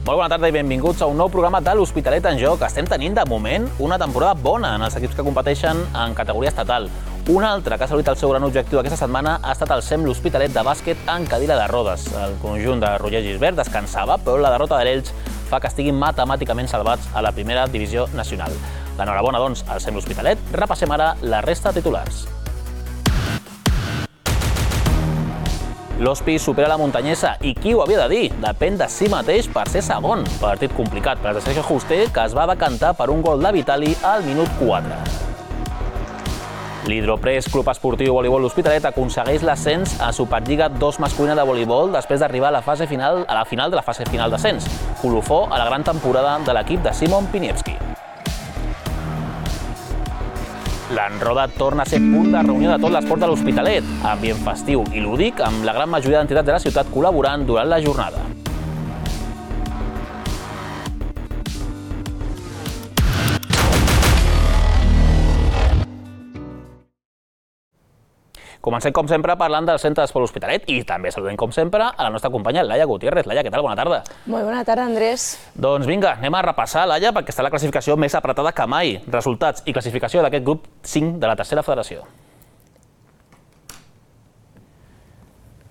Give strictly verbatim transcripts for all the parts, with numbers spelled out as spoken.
Molt bona tarda i benvinguts a un nou programa de l'Hospitalet en Joc. Estem tenint, de moment, una temporada bona en els equips que competeixen en categoria estatal. Un altre que ha assolit el seu gran objectiu aquesta setmana ha estat el SEM l'Hospitalet de bàsquet en cadira de rodes. El conjunt de Roger Gisbert descansava, però la derrota de l'Elx fa que estiguin matemàticament salvats a la primera divisió nacional. L'enhorabona, doncs, al SEM l'Hospitalet. Repassem ara la resta de titulars. L'Hospi supera la Muntanyesa i qui ho havia de dir? Depèn de si mateix per ser segon. Partit complicat per als de Sergio Juste, que es va decantar per un gol de Vitali al minut quatre. L'Hidropress Club Esportiu Voleibol l'Hospitalet aconsegueix l'ascens a Superliga dos masculina de voleibol després d'arribar a la fase final a la final de la fase final d'ascens. Colofó a la gran temporada de l'equip de Simon Piniewski. L'Enroda torna a ser punt de reunió de tot l'esport de l'Hospitalet, ambient festiu i lúdic, amb la gran majoria d'entitats de la ciutat col·laborant durant la jornada. Comencem, com sempre, parlant del centre d'esport l'Hospitalet i també saludem, com sempre, a la nostra companya Laia Gutiérrez. Laia, què tal? Bona tarda. Molt bona tarda, Andrés. Doncs vinga, anem a repassar, Laia, perquè està la classificació més apretada que mai. Resultats i classificació d'aquest grup cinc de la tercera federació.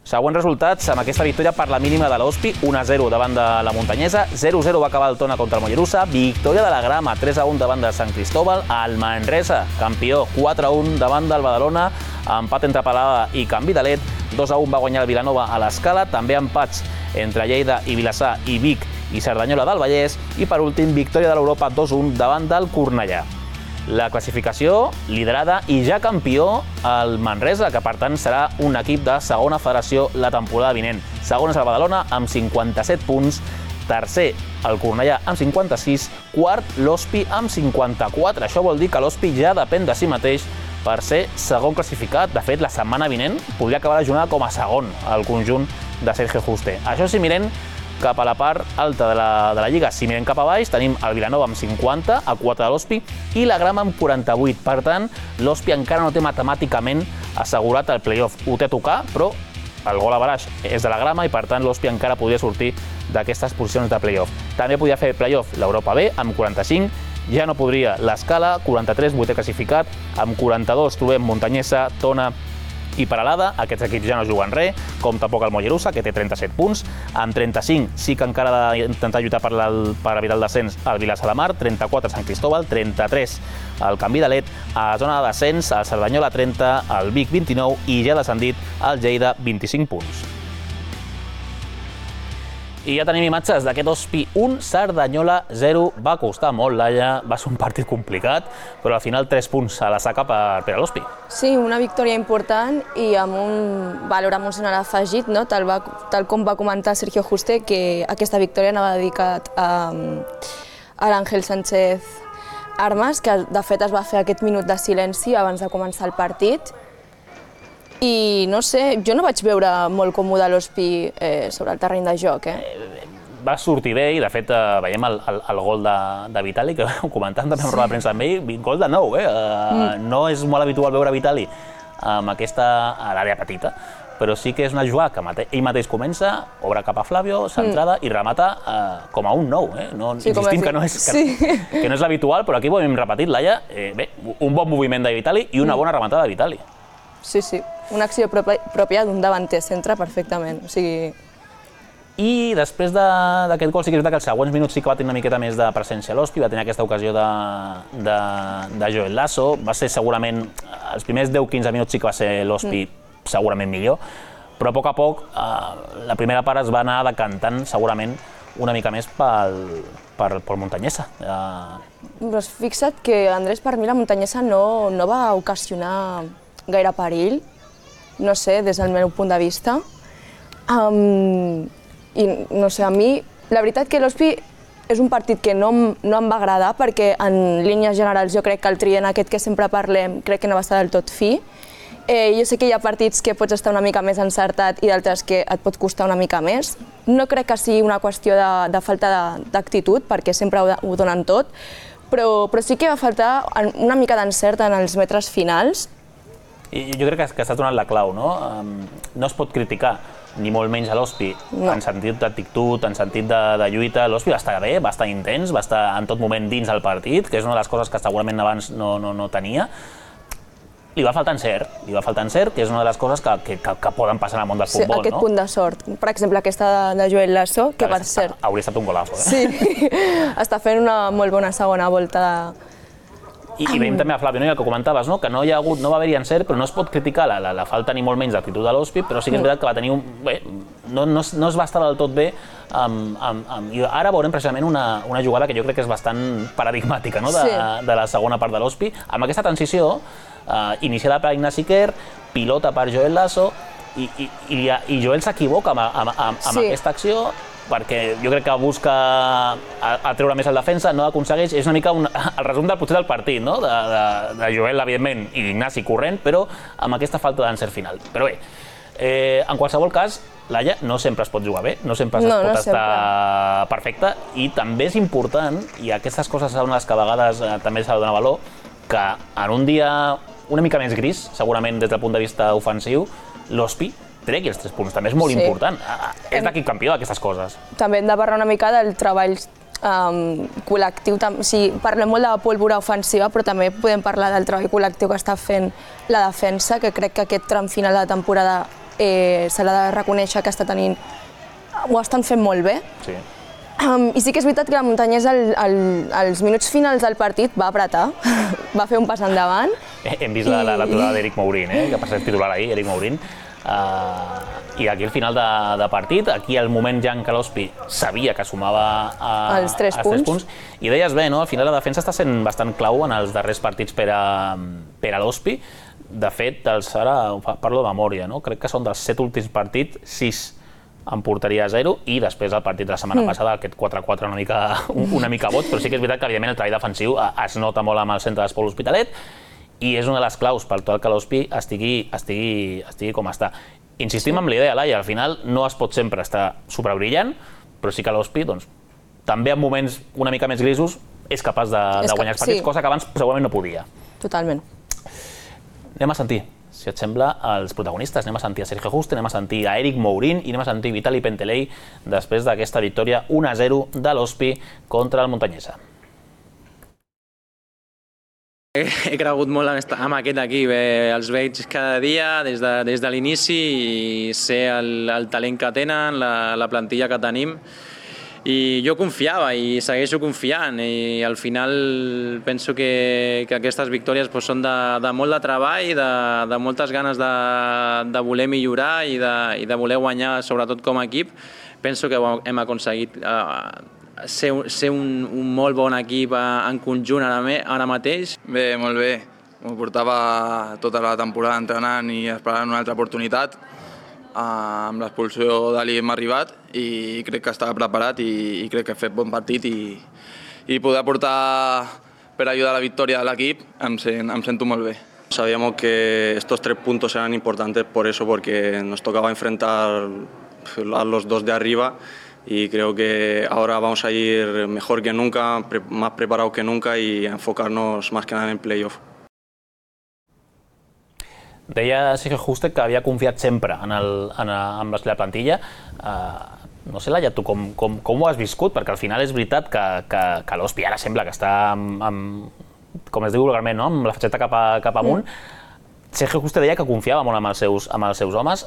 Següents resultats, amb aquesta victòria per la mínima de l'Hospi, un a zero davant de la Muntanyesa, zero a zero va acabar el Tona contra el Mollerussa, victòria de la Grama, tres a un davant de Sant Cristóbal, el Manresa, campió, quatre a un davant del Badalona, empat entre Palada i Can Vidalet, dos a un va guanyar el Vilanova a l'Escala, també empats entre Lleida i Vilassar i Vic i Cerdanyola del Vallès, i per últim, victòria de l'Europa dos a un davant del Cornellà. La classificació liderada i ja campió el Manresa, que per tant serà un equip de segona federació la temporada vinent. Segon és el Badalona amb cinquanta-set punts, tercer el Cornellà amb cinquanta-sis, quart l'Hospi amb cinquanta-quatre. Això vol dir que l'Hospi ja depèn de si mateix per ser segon classificat. De fet, la setmana vinent podria acabar la jornada com a segon el conjunt de Sergio Juste. Això si mirem cap a la part alta de la, de la Lliga. Si mirem cap a baix, tenim el Vilanova amb cinquanta, a quatre de l'Hospi, i la Grama amb quaranta-vuit. Per tant, l'Hospi encara no té matemàticament assegurat el play-off. Ho té a tocar, però el gol a baraix és de la Grama i, per tant, l'Hospi encara podria sortir d'aquestes posicions de play-off. També podia fer play-off l'Europa B amb quaranta-cinc, ja no podria l'Escala, quaranta-tres, vuitè classificat, amb quaranta-dos trobem Muntanyesa, Tona i Peralada. Aquests equips ja no juguen res, com tampoc el Mollerussa, que té trenta-set punts. Amb trenta-cinc sí que encara ha d'intentar lluitar per, per evitar el descens al Vilassar de Mar, trenta-quatre Sant Cristóbal, trenta-tres el Can Vidalet, a la zona de descens el Cerdanyola trenta, el Vic vint-i-nou i ja descendit el Lleida vint-i-cinc punts. I ja tenim imatges d'aquest Hospi un, Cerdanyola zero. Va costar molt, Laia, va ser un partit complicat, però al final tres punts a la saca per, per a l'Hospi. Sí, una victòria important i amb un valor emocional afegit, no? Tal, va, tal com va comentar Sergio Juste, que aquesta victòria anava dedicat a, a l'Àngel Sánchez Armas, que de fet es va fer aquest minut de silenci abans de començar el partit. I no sé, jo no vaig veure molt còmode l'Hospi eh, sobre el terreny de joc. Eh? Va sortir bé i, de fet, eh, veiem el, el, el gol de, de Vitali, que ho comentàvem també en roda de premsa amb ell, gol de nou. Eh? Uh, mm. No és molt habitual veure Vitali amb aquesta a l'àrea petita, però sí que és una jugada que mate, ell mateix comença, obre cap a Flavio, centrada, mm. i remata eh, com a un nou. Eh? No, sí, insistim que no és, que, sí. que no és l'habitual, però aquí ho hem repetit, Laia. Eh, bé, un bon moviment de Vitali i una mm. bona rematada de Vitali. Sí, sí, una acció pròpia d'un davanter centre perfectament. O sigui... I després d'aquest gol sí que és veritat que els següents minuts sí que va tenir una miqueta més de presència a l'Hospi, va tenir aquesta ocasió de, de, de Joel Lasso, va ser segurament, els primers deu quinze minuts sí que va ser l'Hospi mm. segurament millor, però a poc a poc eh, la primera part es va anar decantant segurament una mica més pel, pel, pel Muntanyesa. Eh... Però has fixat que, Andrés, per mi la Muntanyesa no, no va ocasionar gaire perill, no sé, des del meu punt de vista. Um, I no sé, a mi, la veritat que l'Hospi és un partit que no, no em va agradar perquè en línies generals jo crec que el trident aquest que sempre parlem crec que no va estar del tot fi. Eh, jo sé que hi ha partits que pots estar una mica més encertat i d'altres que et pot costar una mica més. No crec que sigui una qüestió de, de falta d'actitud perquè sempre ho, ho donen tot, però, però sí que va faltar una mica d'encert en els metres finals. I jo crec que has donat la clau, no? No es pot criticar ni molt menys a l'Hospi, en sentit d'actitud, en sentit de lluita. L'Hospi va estar bé, va estar intens, va estar en tot moment dins del partit, que és una de les coses que segurament abans no tenia. Li va faltar encert, li va faltar encert, que és una de les coses que poden passar en el món del futbol. Sí, aquest punt de sort. Per exemple, aquesta de Joel Lasso, que per cert... Hauria estat un golazo, eh? Sí, està fent una molt bona segona volta de... I veiem també a Flavio, el que comentaves, que no va haver-hi encert, però no es pot criticar la falta ni molt menys d'actitud de l'Hospi, però sí que és veritat que va tenir un... Bé, no es va estar del tot bé. I ara veurem precisament una jugada que jo crec que és bastant paradigmàtica de la segona part de l'Hospi. Amb aquesta transició, iniciada per Ignasi Quer, pilota per Joel Lasso, i Joel s'equivoca amb aquesta acció, perquè jo crec que busca treure més el defensa, no aconsegueix, és una mica el resum potser del partit, de Joel, evidentment, i d'Ignasi corrent, però amb aquesta falta d'encert final. Però bé, en qualsevol cas, Laia, no sempre es pot jugar bé, no sempre es pot estar perfecte, i també és important, i aquestes coses són les que a vegades també s'ha de donar valor, que en un dia una mica més gris, segurament des del punt de vista ofensiu, l'Hospi tregui els tres punts, també és molt important. És l'equip campió d'aquestes coses. També hem de parlar una mica del treball col·lectiu. Parlem molt de la pólvora ofensiva, però també podem parlar del treball col·lectiu que està fent la defensa, que crec que aquest tram final de temporada se l'ha de reconèixer que està tenint... Ho estan fent molt bé. Sí. I sí que és veritat que la Muntanyesa als minuts finals del partit va apretar, va fer un pas endavant. Hem vist l'aturada d'Eric Mourín, que per ser titular ahir, Eric Mourín. I aquí al final de partit, aquí al moment ja en què l'Hospi sabia que sumava els tres punts. I deies bé, al final la defensa està sent bastant clau en els darrers partits per a l'Hospi. De fet, ara parlo de memòria, crec que són dels set últims partits, sis en porteria a zero, i després el partit de la setmana passada, aquest quatre a quatre una mica boig, però sí que és veritat que evidentment el treball defensiu es nota molt amb el centre d'Esport L'Hospitalet, i és una de les claus per tal que l'Hospi estigui com està. Insistim en l'idea, Laia, al final no es pot sempre estar superbrillant, però sí que l'Hospi, també en moments una mica més grisos, és capaç de guanyar els partits, cosa que abans segurament no podia. Totalment. Anem a sentir, si et sembla, els protagonistes. Anem a sentir a Sergio Juste, anem a sentir a Eric Mourín i anem a sentir Vitali Pentelei després d'aquesta victòria un a zero de l'Hospi contra el Muntanyesa. He cregut molt amb aquest equip, els veig cada dia des de l'inici i sé el talent que tenen, la plantilla que tenim, i jo confiava i segueixo confiant, i al final penso que aquestes victòries són de molt de treball, de moltes ganes de voler millorar i de voler guanyar, sobretot com a equip. Penso que hem aconseguit ser un molt bon equip en conjunt ara mateix. Bé, molt bé. M'ho portava tota la temporada entrenant i esperant una altra oportunitat. Amb l'expulsió d'Ali hem arribat i crec que estava preparat i crec que he fet bon partit i poder aportar per ayudar a la victòria de l'equip em sento molt bé. Sabíamos que estos tres puntos eran importantes por eso, porque nos tocaba enfrentar a los dos de arriba y creo que ahora vamos a ir mejor que nunca, más preparados que nunca y enfocarnos más que nada en playoff. Deia Sergio Juste que havia confiat sempre en la plantilla. No sé, Laia, tu com ho has viscut? Perquè al final és veritat que l'Hospi ara sembla que està, com es diu vulgarment, amb la fatxeta cap amunt. Sergio Juste deia que confiava molt amb els seus homes.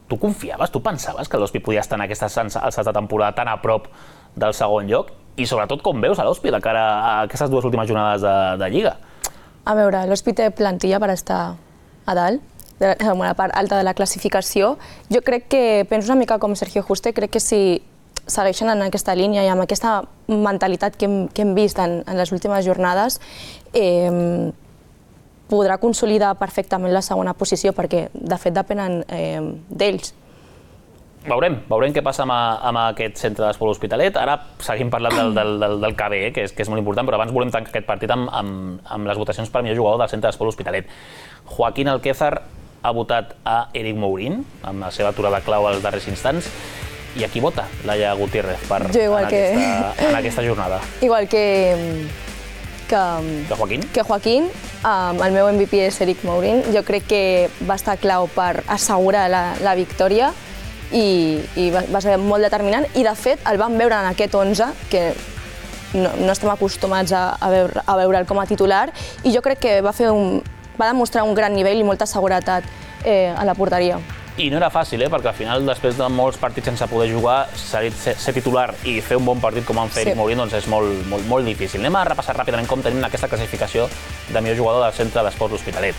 Tu confiaves, tu pensaves que l'Hospi podia estar en aquestes alçades de temporada tan a prop del segon lloc? I sobretot com veus a l'Hospi de cara a aquestes dues últimes jornades de Lliga? A veure, l'Hospi té plantilla per estar a dalt, en la part alta de la classificació. Jo crec que, penso una mica com Sergio Juste, crec que si segueixen en aquesta línia i amb aquesta mentalitat que hem vist en les últimes jornades, podrà consolidar perfectament la segona posició, perquè de fet depenen d'ells. Veurem, veurem què passa amb aquest centre d'Esport L'Hospitalet. Ara seguim parlant del K B, que és molt important, però abans volem tancar aquest partit amb les votacions per millor jugador del centre d'Esport L'Hospitalet. Joaquín Alquézar ha votat a Eric Mourín, amb la seva aturada clau als darrers instants. I a qui vota Laia Gutiérrez en aquesta jornada? Igual que Joaquín. Que Joaquín, el meu M V P és Eric Mourín. Jo crec que va estar clau per assegurar la victòria i va ser molt determinant, i de fet el vam veure en aquest onze, que no estem acostumats a veure'l com a titular, i jo crec que va demostrar un gran nivell i molta seguretat a la porteria. I no era fàcil, perquè al final, després de molts partits sense poder jugar, ser titular i fer un bon partit com han fet Eric Morín és molt difícil. Anem a repassar ràpidament com tenim aquesta classificació de millor jugador del Centre d'Esports L'Hospitalet,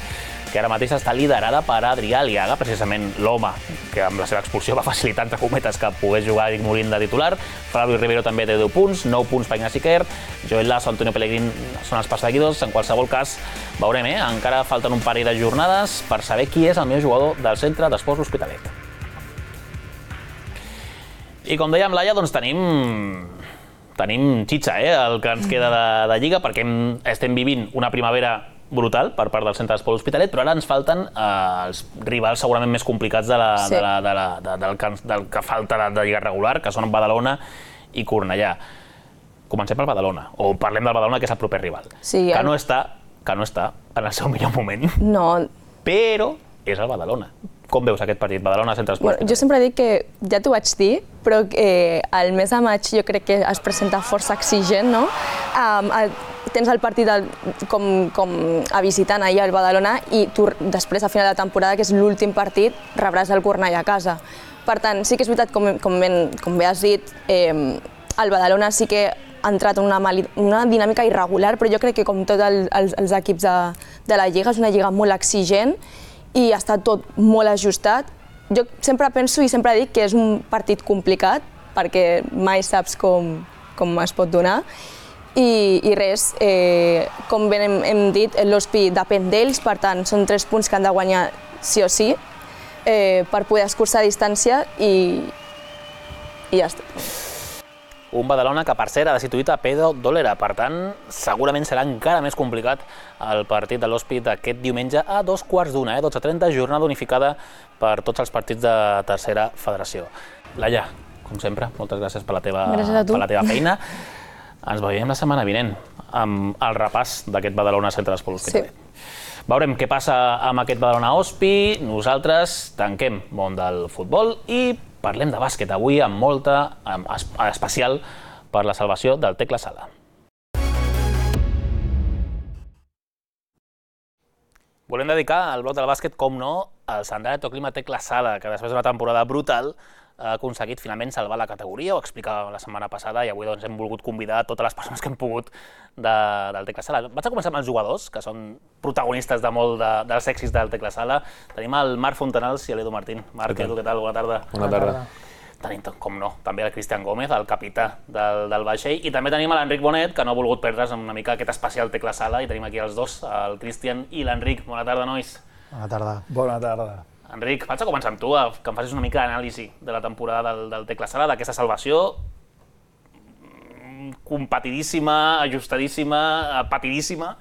que ara mateix està liderada per Adrià Aliaga, precisament l'home que amb la seva expulsió va facilitar, entre cometes, que pogués jugar Eric Morín de titular. Flavio Rivero també té deu punts, nou punts per Ignasi Quer, Joel Lasso, Antonio Pellegrín són els perseguidors. En qualsevol cas, veurem, eh? Encara falten un parell de jornades per saber qui és el millor jugador del Centre d'Esports L'Hospitalet. I com dèiem, Laia, doncs tenim tenim xitxa, eh? El que ens queda de Lliga, perquè estem vivint una primavera brutal per part del Centre d'Esports L'Hospitalet, però ara ens falten els rivals segurament més complicats del que falta de Lliga regular, que són Badalona i Cornellà. Comencem pel Badalona, o parlem del Badalona, que és el proper rival, que no està en el seu millor moment, però és el Badalona. Com veus aquest partit, Badalona, Centre d'Esports L'Hospitalet? Jo sempre dic que, ja t'ho vaig dir, però el mes de maig jo crec que es presenta força exigent, no? Tens el partit com a visitant ahir al Badalona i tu després, a final de temporada, que és l'últim partit, rebràs el Cornellà a casa. Per tant, sí que és veritat, com bé has dit, el Badalona sí que ha entrat en una dinàmica irregular, però jo crec que com tots els equips de la Lliga, és una Lliga molt exigent i està tot molt ajustat. Jo sempre penso i sempre dic que és un partit complicat, perquè mai saps com es pot donar. I res, com bé hem dit, l'Hospi depèn d'ells, per tant, són tres punts que han de guanyar sí o sí per poder escurçar distància i ja està. Un Badalona que, per cert, ha destituït a Pedro Dolera, per tant, segurament serà encara més complicat el partit de l'Hospi d'aquest diumenge a dos quarts d'una, dotze trenta, jornada unificada per tots els partits de tercera federació. Laia, com sempre, moltes gràcies per la teva feina. Ens veiem la setmana vinent amb el repàs d'aquest Badalona Centre d'Esports L'Hospitalet. Veurem què passa amb aquest Badalona-Hospi. Nosaltres tanquem món del futbol i parlem de bàsquet avui amb molta especial per la salvació del Tecla Sala. Volem dedicar el bloc del bàsquet, com no, al Sandato Clima Tecla Sala, que després d'una temporada brutal ha aconseguit finalment salvar la categoria, ho explicàvem la setmana passada, i avui hem volgut convidar totes les persones que hem pogut del Tecla Sala. Vaig a començar amb els jugadors, que són protagonistes de molt dels èxits del Tecla Sala. Tenim el Marc Fontanals i l'Edu Martín. Marc, Edu, què tal? Bona tarda. Bona tarda. Tenim, com no, també el Cristian Gómez, el capità del vaixell, i també tenim l'Enric Bonet, que no ha volgut perdre's una mica aquest especial Tecla Sala, i tenim aquí els dos, el Cristian i l'Enric. Bona tarda, nois. Bona tarda. Bona tarda. Enric, vaig a començar amb tu, que em facis una mica d'anàlisi de la temporada del Tecla Sala, d'aquesta salvació competidíssima, ajustadíssima, patidíssima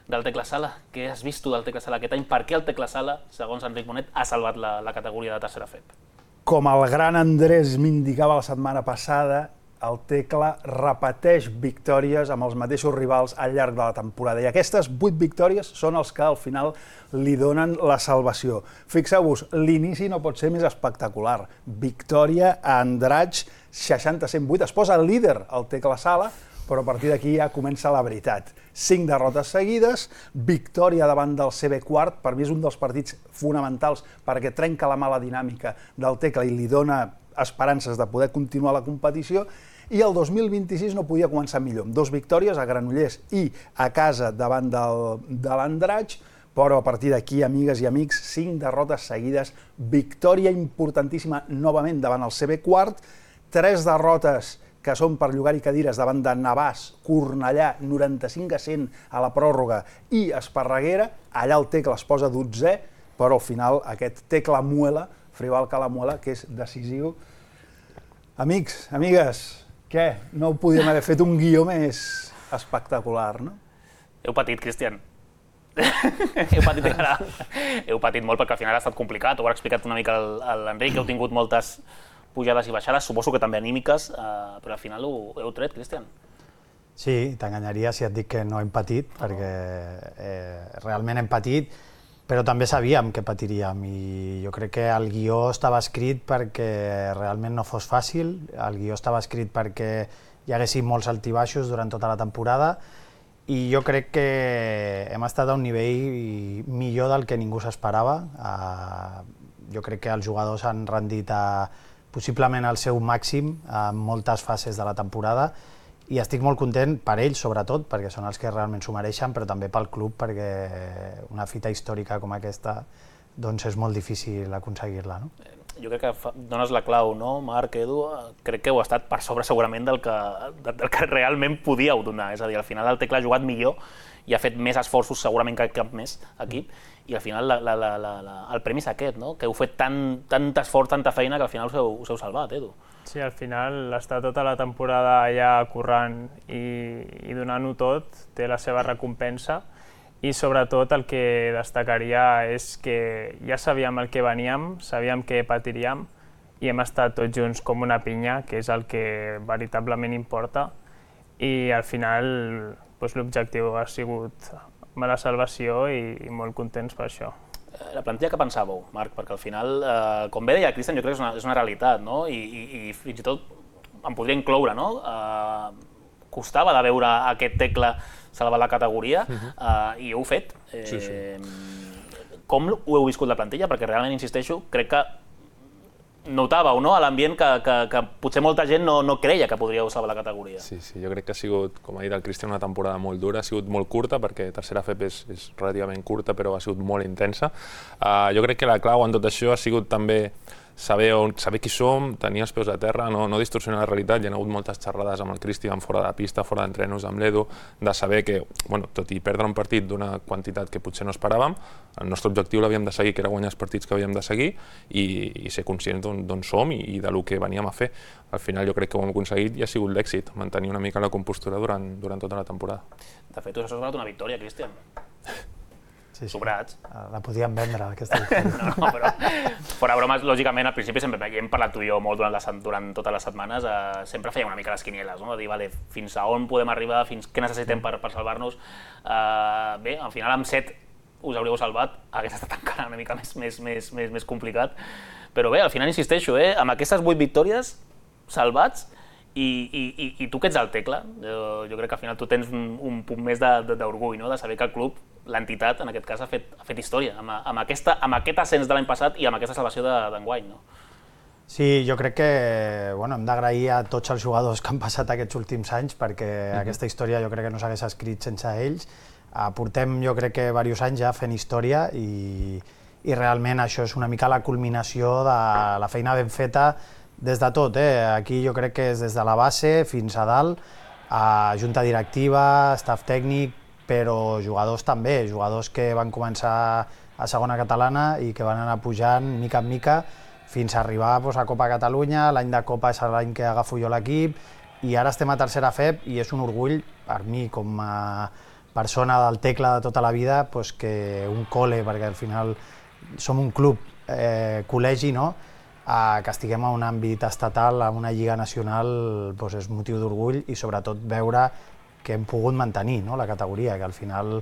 del Tecla Sala. Què has vist tu del Tecla Sala aquest any? Per què el Tecla Sala, segons Enric Bonet, ha salvat la categoria de tercera F E P? Com el gran Andrés m'indicava la setmana passada, el Tecla repeteix victòries amb els mateixos rivals al llarg de la temporada. I aquestes vuit victòries són els que al final li donen la salvació. Fixeu-vos, l'inici no pot ser més espectacular. Victòria a Andratx, seixanta a cent vuit. Es posa el líder al Tecla Sala, però a partir d'aquí ja comença la veritat. Cinc derrotes seguides, victòria davant del C B quart, per mi és un dels partits fonamentals perquè trenca la mala dinàmica del Tecla i li dona esperances de poder continuar la competició, i el dos mil vint-i-sis no podia començar millor, amb dues victòries a Granollers i a casa davant de l'Andratx, però a partir d'aquí, amigues i amics, cinc derrotes seguides, victòria importantíssima novament davant el C B quart, tres derrotes que són per llogar-hi cadires davant de Navàs, Cornellà, noranta-cinc a cent a la pròrroga, i Esparreguera, allà el Tecla es posa dotzè, però al final aquest Tecla Muela, Frival Calamuela, que és decisiu. Amics, amigues, què? No podíem haver fet un guió més espectacular, no? Heu patit, Cristian. Heu patit encara. Heu patit molt perquè al final ha estat complicat, ho ha explicat una mica l'Enric, heu tingut moltes pujades i baixades, suposo que també anímiques, però al final ho heu tret, Cristian. Sí, t'enganyaria si et dic que no hem patit, perquè realment hem patit. però també sabíem que patiríem i jo crec que el guió estava escrit perquè realment no fos fàcil, el guió estava escrit perquè hi haguessin molts altibaixos durant tota la temporada i jo crec que hem estat a un nivell millor del que ningú s'esperava. Jo crec que els jugadors han rendit a, possiblement al seu màxim en moltes fases de la temporada i estic molt content per ells, sobretot, perquè són els que realment s'ho mereixen, però també pel club, perquè una fita històrica com aquesta doncs és molt difícil aconseguir-la. No? Jo crec que dones la clau, no, Marc, Edu? Crec que heu estat per sobre segurament del que, del que realment podíeu donar. És a dir, al final el Tecla ha jugat millor i ha fet més esforços segurament que cap més equip i al final la, la, la, la, el premi és aquest, no? Que heu fet tant, tant esforç, tanta feina que al final us heu, us heu salvat, Edu. Sí, al final estar tota la temporada allà currant i, i donant-ho tot té la seva recompensa i sobretot el que destacaria és que ja sabíem el que veníem, sabíem que patiríem i hem estat tots junts com una pinya, que és el que veritablement importa i al final doncs, l'objectiu ha sigut la salvació i, i molt contents per això. La plantilla que pensàveu, Marc? Perquè al final, eh, com bé deia Cristian, jo crec que és una, és una realitat, no? I, i, i fins i tot em podria incloure, no? Eh, costava de veure aquest Tecla salvar la categoria eh, i ho heu fet. Eh, sí, sí. Com ho heu viscut la plantilla? Perquè realment, insisteixo, crec que notàveu, no?, a l'ambient que, que, que potser molta gent no, no creia que podríeu salvar la categoria. Sí, sí, jo crec que ha sigut, com ha dit el Cristian, una temporada molt dura, ha sigut molt curta, perquè tercera F P és, és relativament curta, però ha sigut molt intensa. Uh, jo crec que la clau en tot això ha sigut també saber, on, saber qui som, tenir els peus a terra, no, no distorsionar la realitat. Hi ha hagut moltes xerrades amb el Cristian fora de pista, fora d'entrenos amb l'Edu, de saber que, bueno, tot i perdre un partit d'una quantitat que potser no esperàvem, el nostre objectiu l'havíem de seguir, que era guanyar els partits que havíem de seguir i, i ser conscients d'on som i, i del que veníem a fer. Al final jo crec que ho hem aconseguit i ha sigut l'èxit, mantenir una mica la compostura durant, durant tota la temporada. De fet, us ha sobrat una victòria, Cristian. Sí, sí. Sobrats. La podíem vendre, aquesta victòria. No, no, però fora bromes, lògicament, al principi sempre hem parlat tu i jo molt durant, la, durant totes les setmanes, eh, sempre fèiem una mica les quinieles, no? De dir, vale, fins a on podem arribar, fins què necessitem per, per salvar-nos. Eh, bé, al final amb set us hauríeu salvat, hagués estat encara una mica més, més, més, més, més complicat. Però bé, al final insisteixo, eh, amb aquestes vuit victòries salvats, i, i, i, i tu que ets el Tecla, jo, jo crec que al final tu tens un, un punt més d'orgull, no? De saber que el club, l'entitat, en aquest cas, ha fet, ha fet història amb, amb, aquesta, amb aquest ascens de l'any passat i amb aquesta salvació d'enguany, no? Sí, jo crec que bueno, hem d'agrair a tots els jugadors que han passat aquests últims anys perquè mm-hmm. aquesta història jo crec que no s'hagués escrit sense ells. Uh, portem jo crec que diversos anys ja fent història i, i realment això és una mica la culminació de la feina ben feta des de tot. Eh? Aquí jo crec que és des de la base fins a dalt, a junta directiva, staff tècnic, però jugadors també, jugadors que van començar a segona catalana i que van anar pujant mica en mica fins a arribar doncs, a Copa Catalunya. L'any de Copa és l'any que agafo jo l'equip i ara estem a tercera F E P i és un orgull per mi com a persona del Tecla de tota la vida doncs, que un col·le, perquè al final som un club, eh, col·legi, no? Eh, que estiguem a un àmbit estatal, a una lliga nacional, doncs és motiu d'orgull i sobretot veure que hem pogut mantenir, no? La categoria, que al final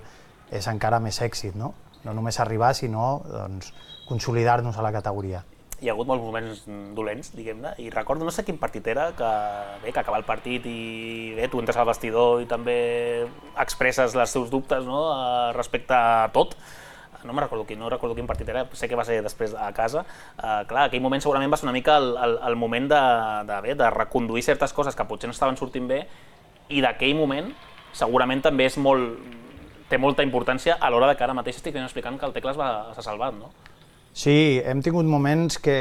és encara més èxit, no? No només arribar, sinó doncs, consolidar-nos a la categoria. Hi ha hagut molts moments dolents, diguem-ne, i recordo, no sé quin partit era, que, bé, que acaba el partit i bé, tu entres al vestidor i també expresses els teus dubtes, no? Respecte a tot. No me'n recordo quin, no recordo quin partit era, sé que va ser després a casa. Uh, clar, aquell moment segurament va ser una mica el, el, el moment de, de, bé, de reconduir certes coses que potser no estaven sortint bé i d'aquell moment segurament també és molt, té molta importància a l'hora de que ara mateix estic explicant que el Tecla s'ha salvat, no? Sí, hem tingut moments que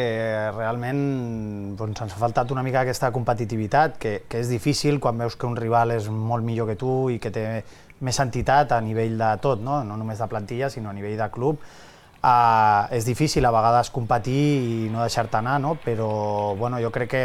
realment doncs, ens ha faltat una mica aquesta competitivitat, que, que és difícil quan veus que un rival és molt millor que tu i que té més entitat a nivell de tot, no, no només de plantilla, sinó a nivell de club. Uh, és difícil a vegades competir i no deixar-te anar, no? Però bueno, jo crec que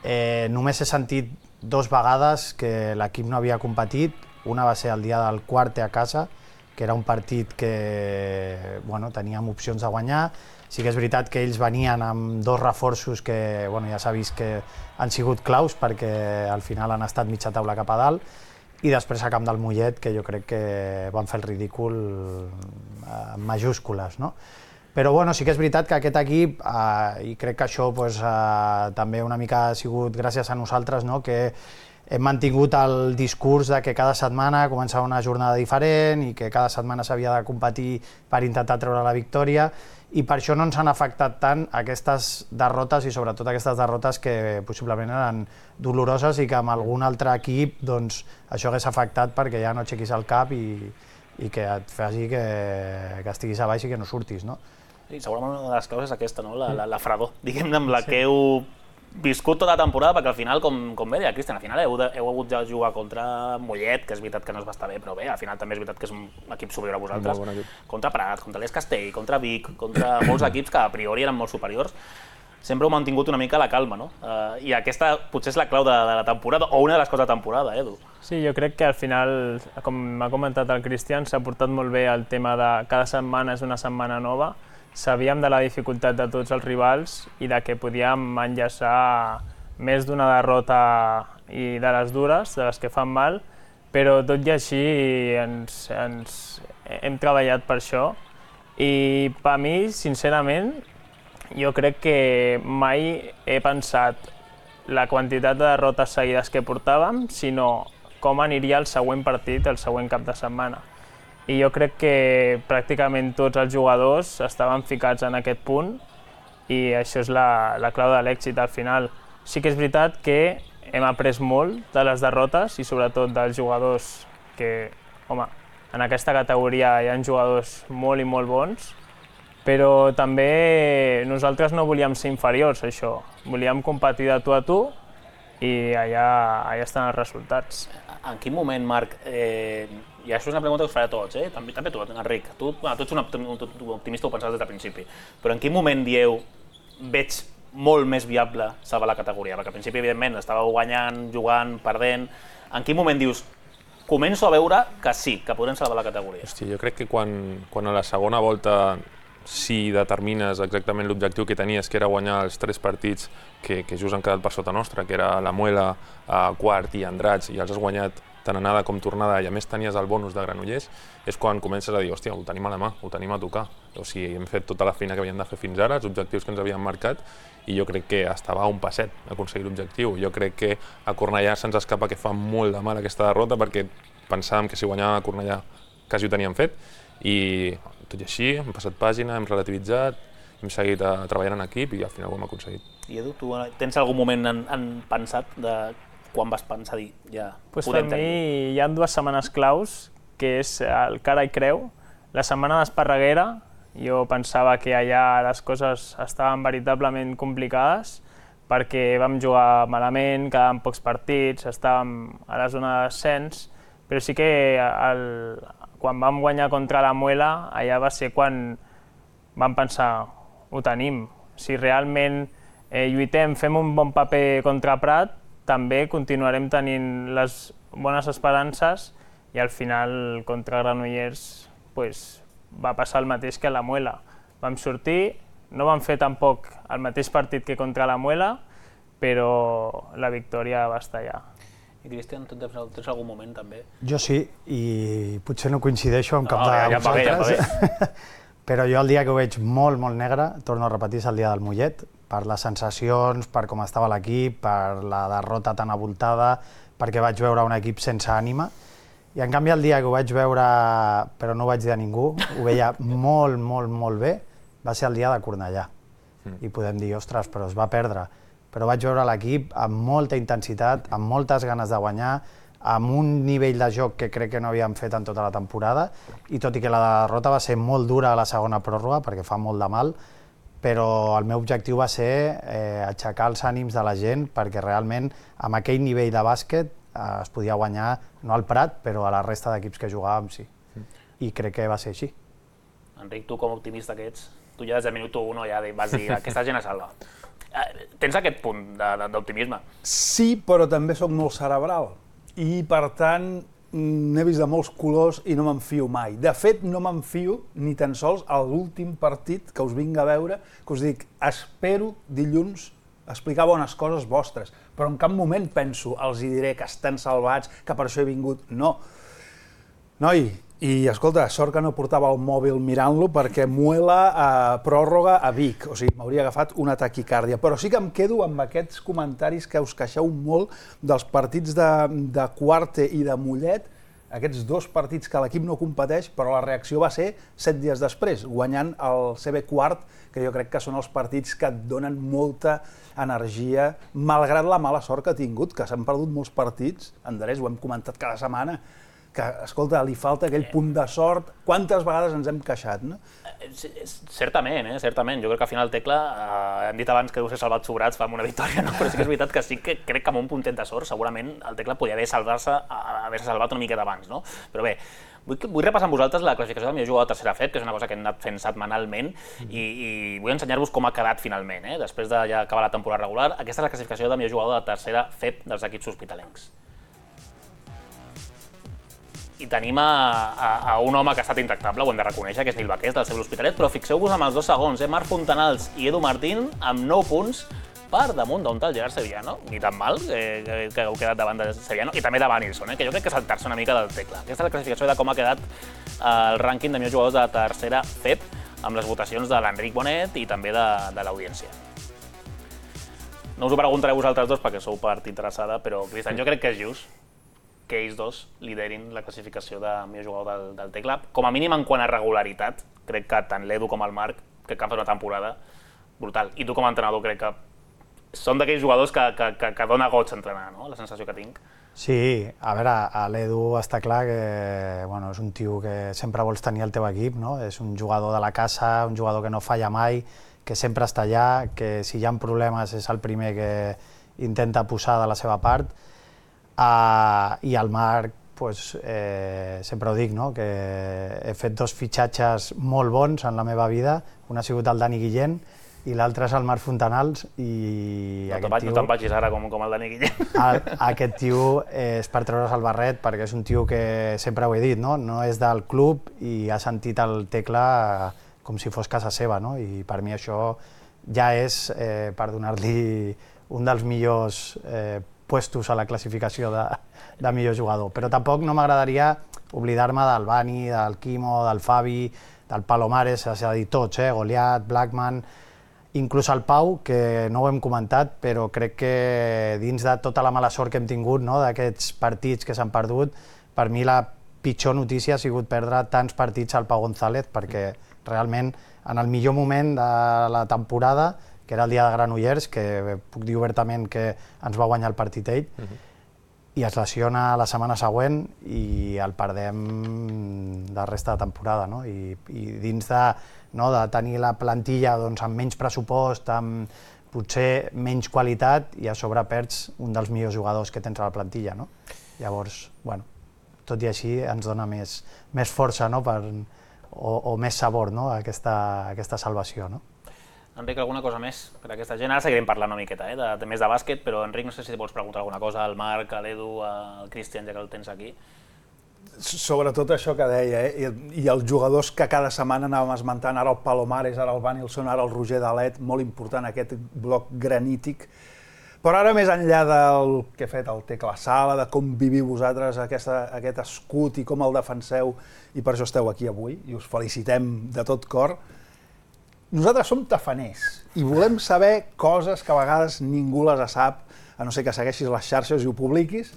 eh, només he sentit dos vegades que l'equip no havia competit. Una va ser el dia del quart a casa, que era un partit que bueno, teníem opcions de guanyar. Sí que és veritat que ells venien amb dos reforços que bueno, ja s'ha vist que han sigut claus perquè al final han estat mitja taula cap a dalt. I després a camp del Mollet, que jo crec que van fer el ridícul en majúscules, no? Però bueno, sí que és veritat que aquest equip, eh, i crec que això pues, eh, també una mica ha sigut gràcies a nosaltres, no? Que hem mantingut el discurs de que cada setmana començava una jornada diferent i que cada setmana s'havia de competir per intentar treure la victòria, i per això no ens han afectat tant aquestes derrotes, i sobretot aquestes derrotes que possiblement eren doloroses i que amb algun altre equip doncs, això hagués afectat perquè ja no aixequis el cap i, i que et faci que, que estiguis a baix i que no surtis, no? I segurament una de les causes és aquesta, no? la, la, la fredor, diguem-ne, amb la sí. que heu viscut tota la temporada, perquè al final, com, com bé deia Cristian, al final heu, de, heu hagut de jugar contra Mollet, que és veritat que no es va estar bé, però bé, al final també és veritat que és un equip superior a vosaltres, bon contra Prat, contra l'Es Castell, contra Vic, contra molts equips que a priori eren molt superiors. Sempre heu mantingut una mica la calma, no? Uh, I aquesta potser és la clau de, de la temporada, o una de les coses de temporada, eh, Edu? Sí, jo crec que al final, com m'ha comentat el Cristian, s'ha portat molt bé el tema de cada setmana és una setmana nova. Sabíem de la dificultat de tots els rivals i de que podíem enllaçar més d'una derrota i de les dures, de les que fan mal, però tot i així ens, ens hem treballat per això. I per mi, sincerament, jo crec que mai he pensat la quantitat de derrotes seguides que portàvem, sinó com aniria el següent partit, el següent cap de setmana. I jo crec que pràcticament tots els jugadors estaven ficats en aquest punt i això és la, la clau de l'èxit al final. Sí que és veritat que hem après molt de les derrotes i sobretot dels jugadors que, home, en aquesta categoria hi ha jugadors molt i molt bons, però també nosaltres no volíem ser inferiors a això, volíem competir de tu a tu i allà, allà estan els resultats. En quin moment, Marc, eh, i això és una pregunta que us faré a tots, eh? també, també tu, Enric, tu, bueno, tu ets un optimista, ho pensaves des del principi, però en quin moment dieu veig molt més viable salvar la categoria? Perquè al principi, evidentment, estàveu guanyant, jugant, perdent. En quin moment dius, començo a veure que sí, que podem salvar la categoria? Hosti, jo crec que quan, quan a la segona volta si determines exactament l'objectiu que tenies, que era guanyar els tres partits que, que just han quedat per sota nostra, que era la Muela, a Quart i Andratx, i els has guanyat tant anada com tornada, i a més tenies el bonus de Granollers, és quan comences a dir, hòstia, ho tenim a la mà, ho tenim a tocar. O sigui, hem fet tota la feina que havíem de fer fins ara, els objectius que ens havíem marcat, i jo crec que estava a un passet aconseguir l'objectiu. Jo crec que a Cornellà se'ns escapa que fa molt de mal aquesta derrota, perquè pensàvem que si guanyàvem a Cornellà quasi ho teníem fet, i tot i així hem passat pàgina, hem relativitzat, hem seguit a, treballant en equip i al final ho hem aconseguit. I Edu, tu tens algun moment en, en pensat de quan vas pensar dir, ja pues podem tenir? tenir? Hi ha dues setmanes claus, que és el cara i creu. La setmana d'Esparreguera, jo pensava que allà les coses estaven veritablement complicades perquè vam jugar malament, quedàvem pocs partits, estàvem a la zona de descens, però sí que el, quan vam guanyar contra la Muela, allà va ser quan vam pensar, ho tenim. Si realment eh, lluitem, fem un bon paper contra Prat, també continuarem tenint les bones esperances i al final contra Granollers pues, va passar el mateix que a la Muela. Vam sortir, no vam fer tampoc el mateix partit que contra la Muela, però la victòria va estar allà. I Cristian, tu tens algun moment també? Jo sí, i potser no coincideixo amb cap no, de ja vosaltres, ja va bé. Però jo el dia que ho veig molt, molt negre, torno a repetir, és el dia del Mollet, per les sensacions, per com estava l'equip, per la derrota tan avoltada, perquè vaig veure un equip sense ànima. I en canvi el dia que ho vaig veure, però no ho vaig dir a ningú, ho veia molt, molt, molt bé, va ser el dia de Cornellà. I podem dir, ostres, però es va perdre. Però vaig veure l'equip amb molta intensitat, amb moltes ganes de guanyar, amb un nivell de joc que crec que no havíem fet en tota la temporada, i tot i que la derrota va ser molt dura a la segona pròrroga, perquè fa molt de mal, però el meu objectiu va ser eh, aixecar els ànims de la gent, perquè realment amb aquell nivell de bàsquet eh, es podia guanyar, no al Prat, però a la resta d'equips que jugàvem sí. I crec que va ser així. Enric, tu com a optimista que ets, tu ja des del minut u ja vas dir aquesta gent es salva. Tens aquest punt d'optimisme? Sí, però també sóc molt cerebral i per tant n'he vist de molts colors i no m'enfio mai. De fet, no m'enfio ni tan sols a l'últim partit que us vinc a veure, que us dic, espero dilluns explicar bones coses vostres, però en cap moment penso, els hi diré que estan salvats, que per això he vingut. No. Noi, I, escolta, sort que no portava el mòbil mirant-lo perquè muela a pròrroga a Vic, o sigui, m'hauria agafat una taquicàrdia. Però sí que em quedo amb aquests comentaris que us queixeu molt dels partits de, de Cuarte i de Mollet, aquests dos partits que l'equip no competeix, però la reacció va ser set dies després, guanyant el C B Quart, que jo crec que són els partits que et donen molta energia, malgrat la mala sort que ha tingut, que s'han perdut molts partits, Andrés, ho hem comentat cada setmana, que, escolta, li falta aquell punt de sort. Quantes vegades ens hem queixat, no? Certament, eh? Certament. Jo crec que al final Tecla, eh, hem dit abans que deu ser salvat sobrats fa una victòria, no? Però sí que és veritat que sí que crec que amb un puntet de sort segurament el Tecla podia haver salvar-se, haver-se salvat una miqueta abans, no? Però bé, vull, vull repassar amb vosaltres la classificació del millor jugador de tercera F E P, que és una cosa que hem anat fent setmanalment, i, i vull ensenyar-vos com ha quedat finalment, eh? Després de ja acabar la temporada regular. Aquesta és la classificació del millor jugador de tercera F E P dels equips hospitalencs. I tenim a, a, a un home que ha estat intractable, ho hem de reconèixer, que és Nil Baqués, del Cebol Hospitalet, però fixeu-vos amb els dos segons, eh? Marc Fontanals i Edu Martín, amb nou punts per damunt d'un tal Gerard Sevillano, ni tan mal, eh, que, que heu quedat davant de Sevillano, i també de Vanilson, eh? Que jo crec que és saltar-se una mica del Tecla. Aquesta és la classificació de com ha quedat el rànquing de millors jugadors de tercera F E P, amb les votacions de l'Enric Bonet i també de, de l'audiència. No us ho preguntaré a vosaltres dos perquè sou part interessada, però, Cristian, jo crec que és just que ells dos liderin la classificació de millor jugador del, del Tecla. Com a mínim en quant a regularitat, crec que tant l'Edu com el Marc crec que han fet una temporada brutal. I tu com a entrenador crec que són d'aquells jugadors que, que, que, que dona goig entrenar, no? La sensació que tinc. Sí, a veure, a l'Edu està clar que bueno, és un tio que sempre vols tenir al teu equip, no? És un jugador de la casa, un jugador que no falla mai, que sempre està allà, que si hi ha problemes és el primer que intenta posar de la seva part. Uh, I el Marc, pues, eh, sempre ho dic, no? Que he fet dos fitxatges molt bons en la meva vida, un ha sigut el Dani Guillén i l'altre és el Marc Fontanals. I no te'n tio... no vagis ara com, com el Dani Guillén. El, aquest tio eh, és per treure's el barret perquè és un tio que sempre ho he dit, no? No és del club i ha sentit el Tecla com si fos casa seva, no? I per mi això ja és eh, per donar-li un dels millors eh, puestos a la classificació de, de millor jugador. Però tampoc no m'agradaria oblidar-me del Bani, del Quimo, del Fabi, del Palomares, és a dir, tots, eh? Goliat, Blackman, inclús el Pau, que no ho hem comentat, però crec que dins de tota la mala sort que hem tingut, no? D'aquests partits que s'han perdut, per mi la pitjor notícia ha sigut perdre tants partits al Pau González, perquè realment en el millor moment de la temporada, que era el dia de Granollers, que puc dir obertament que ens va guanyar el partit ell, uh -huh. i es lesiona la setmana següent i el perdem de resta de temporada, no? I, i dins de, no, de tenir la plantilla doncs, amb menys pressupost, amb potser menys qualitat, i a sobre perds un dels millors jugadors que tens a la plantilla, no? Llavors, bueno, tot i així ens dona més, més força, no? Per, o, o més sabor, no? Aquesta, aquesta salvació, no? Enric, alguna cosa més per a aquesta gent? Ara seguirem parlant una miqueta, eh, de, de més de bàsquet, però Enric, no sé si vols preguntar alguna cosa al Marc, a l'Edu, al Cristian, ja que el tens aquí. Sobretot això que deia, eh? I, i els jugadors que cada setmana anàvem esmentant, ara el Palomares, ara el Vanilson, ara el Roger Dalet, molt important aquest bloc granític. Però ara, més enllà del que ha fet el Tecla Sala, de com viviu vosaltres aquesta, aquest escut i com el defenseu, i per això esteu aquí avui, i us felicitem de tot cor, nosaltres som tafaners i volem saber coses que a vegades ningú les sap, a no ser que segueixis les xarxes i ho publiquis.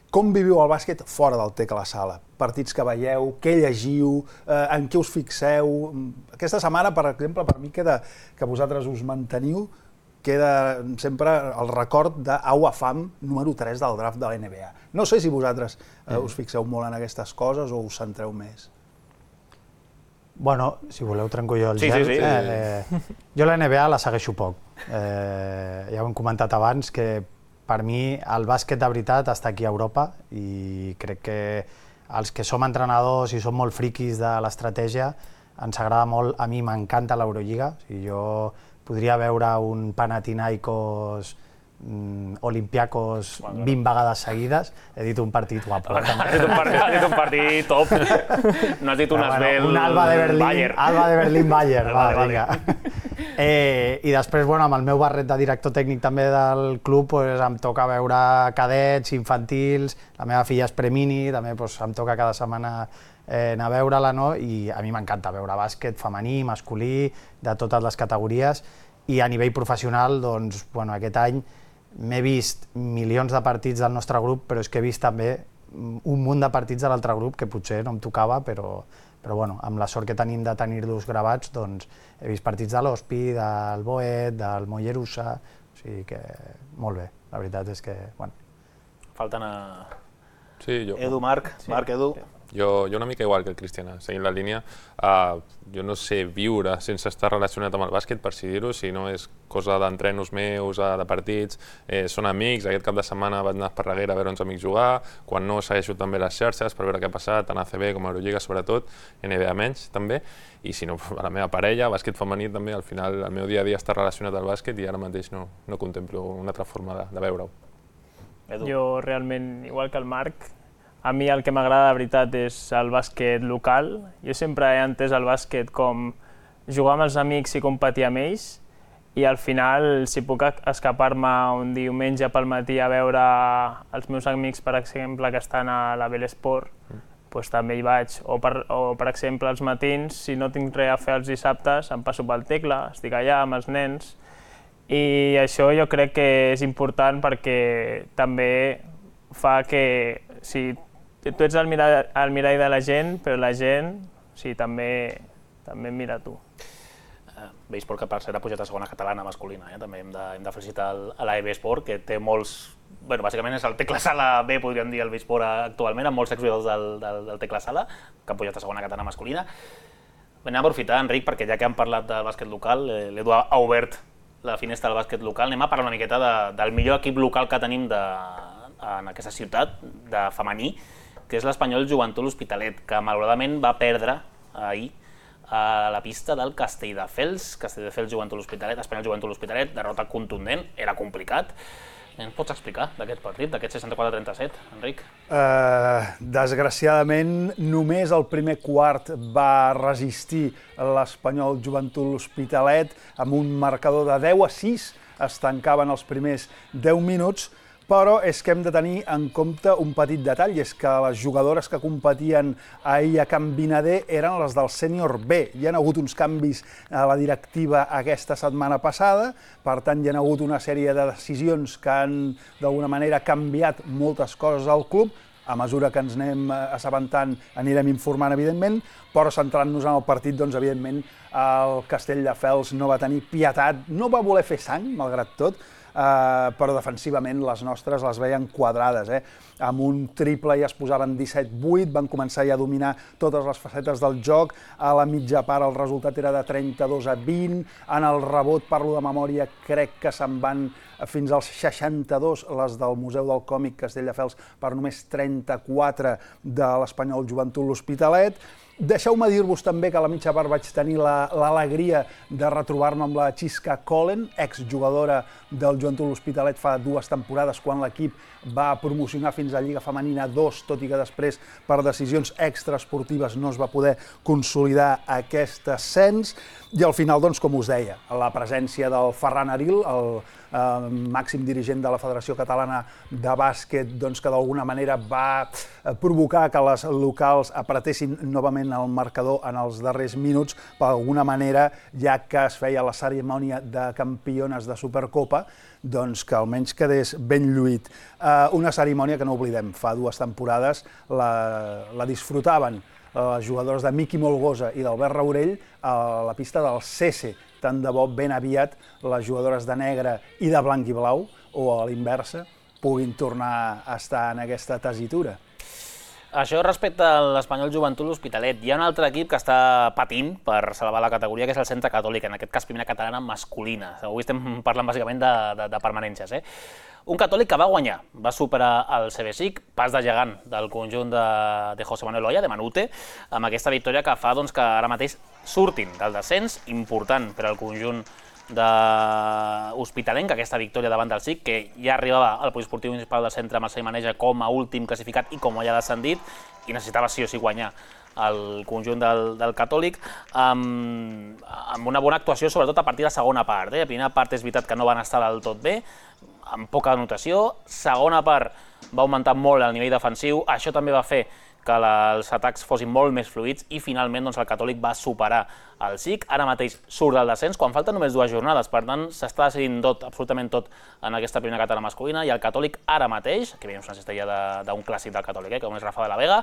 Com viviu el bàsquet fora del Tecla Sala? Partits que veieu, què llegiu, eh, en què us fixeu? Aquesta setmana, per exemple, per mi queda que vosaltres us manteniu, queda sempre el record d'Au Afam, número tres del draft de la N B A. No sé si vosaltres eh, us fixeu molt en aquestes coses o us centreu més. Bueno, si voleu trenco jo el sí, gel. Sí, sí. Eh, jo la N B A la segueixo poc. Eh, ja ho hem comentat abans, que per mi el bàsquet de veritat està aquí a Europa i crec que els que som entrenadors i som molt friquis de l'estratègia ens agrada molt. A mi m'encanta l'Eurolliga. O sigui, jo podria veure un Panathinaikos mm, Olympiacos bueno, vint vegades seguides. He dit un partit guapo. Has dit un partit, has dit un partit top. No has dit un bueno, Asbel un Alba de Berlín, Bayern. Alba de Berlín Bayern. Va, va, vinga. Eh, I després, bueno, amb el meu barret de director tècnic també del club, pues, em toca veure cadets, infantils, la meva filla és premini, també pues, em toca cada setmana anar a veure-la, no? I a mi m'encanta veure bàsquet femení, masculí, de totes les categories, i a nivell professional, doncs, bueno, aquest any m'he vist milions de partits del nostre grup, però és que he vist també un munt de partits de l'altre grup que potser no em tocava, però, però bueno, amb la sort que tenim de tenir-los gravats, doncs he vist partits de l'Hospi, del Boet, del Mollerussa, o sigui que molt bé, la veritat és que, bueno. Falten a... Sí, jo... Edu, Marc, sí. Marc, Edu... Jo, jo una mica igual que el Cristiana, seguint la línia, uh, jo no sé viure sense estar relacionat amb el bàsquet, per si dir-ho, si no és cosa d'entrenos meus, de partits, eh, són amics, aquest cap de setmana vaig anar a Esparreguera a veure uns amics jugar, quan no segueixo també les xarxes per veure què ha passat, tant a A C B com a Eurolliga sobretot, N B A menys també, i si no, la meva parella, bàsquet femení també, al final el meu dia a dia està relacionat al bàsquet i ara mateix no, no contemplo una altra forma de, de veure-ho. Jo realment, igual que el Marc, a mi el que m'agrada de veritat és el bàsquet local. Jo sempre he entès el bàsquet com jugar amb els amics i competir amb ells, i al final, si puc escapar-me un diumenge pel matí a veure els meus amics, per exemple, que estan a la Belesport, doncs també hi vaig. O per, o, per exemple, els matins, si no tinc res a fer els dissabtes, em passo pel Tecla, estic allà amb els nens, i això jo crec que és important perquè també fa que... Si, tu ets el mirall, el mirall de la gent, però la gent sí, també, també em mira a tu. Uh, Besport, que per cert ha pujat a segona catalana masculina, eh? També hem de, hem de felicitar el, a la Besport, que té molts... Bueno, bàsicament és el Tecla Sala B, podríem dir, el Besport actualment, amb molts exjugadors del, del, del Tecla Sala, que han pujat a segona catalana masculina. Anem a aprofitar, Enric, perquè ja que hem parlat del bàsquet local, eh, l'Edu ha obert la finestra del bàsquet local, anem a parlar una miqueta de, del millor equip local que tenim de, en aquesta ciutat, de femení, que és l'Espanyol Joventut L'Hospitalet, que malauradament va perdre ahir a la pista del Castelldefels, Castelldefels Joventut L'Hospitalet, Espanyol Joventut L'Hospitalet, derrota contundent, era complicat. Ens pots explicar d'aquest partit, d'aquest seixanta-quatre a trenta-set, Enric? Uh, desgraciadament, només el primer quart va resistir l'Espanyol Joventut L'Hospitalet amb un marcador de deu a sis, es tancaven els primers deu minuts, però és que hem de tenir en compte un petit detall, i és que les jugadores que competien ahir a Can Vinader eren les del sènior B. Hi ha hagut uns canvis a la directiva aquesta setmana passada, per tant hi ha hagut una sèrie de decisions que han d'alguna manera canviat moltes coses al club. A mesura que ens anem assabentant anirem informant, evidentment, però centrant-nos en el partit, doncs, evidentment, el Castelldefels no va tenir pietat, no va voler fer sang, malgrat tot, Uh, però defensivament les nostres les veien quadrades. Eh? Amb un triple ja es posaven disset vuit, van començar ja a dominar totes les facetes del joc, a la mitja part el resultat era de trenta-dos a vint, en el rebot, parlo de memòria, crec que se'n van fins als seixanta-dos, les del Museu del Còmic Castelldefels, per només trenta-quatre de l'Espanyol Joventut L'Hospitalet. Deixeu-me dir-vos també que a la mitja part vaig tenir l'alegria de retrobar-me amb la Xisca Collen, exjugadora del Joventut L'Hospitalet fa dues temporades, quan l'equip va promocionar fins a Lliga Femenina dos, tot i que després, per decisions extraesportives, no es va poder consolidar aquest ascens. I al final, doncs, com us deia, la presència del Ferran Aril, el eh, màxim dirigent de la Federació Catalana de Bàsquet, doncs, que d'alguna manera va provocar que les locals apretessin novament el marcador en els darrers minuts, per alguna manera, ja que es feia la cerimònia de campiones de Supercopa, doncs que almenys quedés ben lluït. Eh, una cerimònia que no oblidem, fa dues temporades la, la disfrutaven les jugadores de Miqui Molgosa i d'Albert Raurell a la pista del Cese. Tant de bo ben aviat les jugadores de negre i de blanc i blau, o a l'inversa, puguin tornar a estar en aquesta tessitura. Això respecte a l'Espanyol Joventut L'Hospitalet. Hi ha un altre equip que està patint per salvar la categoria, que és el Centre Catòlic, en aquest cas primera catalana masculina. Avui estem parlant bàsicament de, de, de permanències. Eh? Un Catòlic que va guanyar, va superar el C B S I C, pas de gegant del conjunt de, de José Manuel Oya, de Manute, amb aquesta victòria que fa doncs, que ara mateix surtin del descens, important per al conjunt de Hospitalenc, aquesta victòria davant del S I C, que ja arribava al poliesportiu municipal del centre Marcel Maneja com a últim classificat i com ja descendit, i necessitava sí o sí guanyar el conjunt del, del Catòlic, amb, amb una bona actuació, sobretot a partir de la segona part. Eh? La primera part és veritat que no van estar del tot bé, amb poca anotació. Segona part va augmentar molt el nivell defensiu. Això també va fer que els atacs fossin molt més fluids i finalment el Catòlic va superar el S I C. Ara mateix surt del descens quan falten només dues jornades, per tant s'està decidint tot, absolutament tot en aquesta primera catalana masculina i el Catòlic ara mateix, que veiem una cistella d'un clàssic del Catòlic, com és Rafa de la Vega,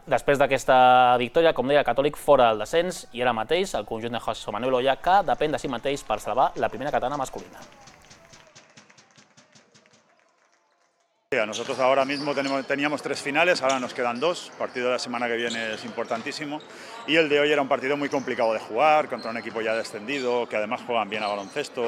després d'aquesta victòria, com deia, el Catòlic fora del descens i ara mateix el conjunt de José Manuel Oya que depèn de si mateix per salvar la primera catalana masculina. Nosotros ahora mismo tenemos, teníamos tres finales, ahora nos quedan dos. El partido de la semana que viene es importantísimo y el de hoy era un partido muy complicado de jugar contra un equipo ya descendido, que además juegan bien a baloncesto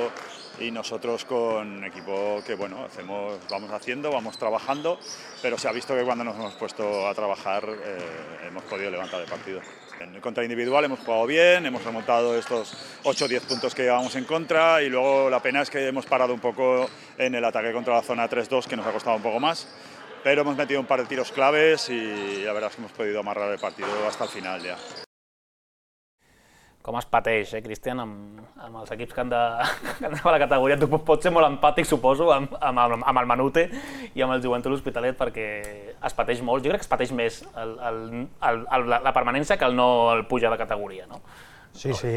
y nosotros con un equipo que bueno, hacemos, vamos haciendo, vamos trabajando, pero se ha visto que cuando nos hemos puesto a trabajar eh, hemos podido levantar el partido. En contra individual hemos jugado bien, hemos remontado estos ocho o diez puntos que llevábamos en contra y luego la pena es que hemos parado un poco en el ataque contra la zona tres dos que nos ha costado un poco más, pero hemos metido un par de tiros claves y la verdad es que hemos podido amarrar el partido hasta el final ya. Com es pateix, eh, Cristian, amb, amb els equips que han de, que han de a la categoria. Tu pots ser molt empàtic, suposo, amb, amb, amb el Manute i amb el Joventut L'Hospitalet, perquè es pateix molt. Jo crec que es pateix més el, el, el, el, la permanència que el no el pujar de categoria, no? Sí, sí,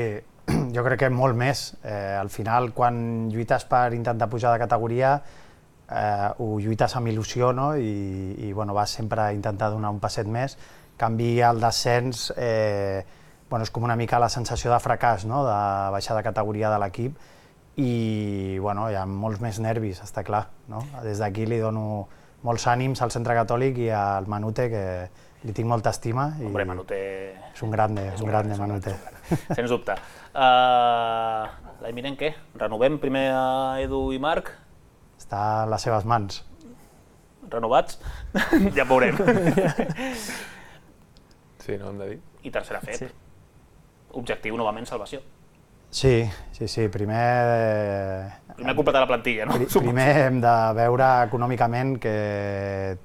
jo crec que molt més. Eh, al final, quan lluites per intentar pujar de categoria, eh, ho lluites amb il·lusió, no? I, i bueno, vas sempre a intentar donar un passet més. En canvi, el descens eh, bueno, és com una mica la sensació de fracàs, no? De baixar de categoria de l'equip i bueno, hi ha molts més nervis, està clar. No? Des d'aquí li dono molts ànims al Centre Catòlic i al Manute, que li tinc molta estima. Hombre, Manute... És un grande, és un grande, Manute. Sens dubte. Uh, L'any vinent què? Renovem primer a Edu i Marc? Està a les seves mans. Renovats? Ja veurem. Sí, no hem de dir. I tercera F E P. Sí. Objectiu, novament, salvació. Sí, sí, sí. Primer... Primer completar la plantilla, no? Primer hem de veure econòmicament que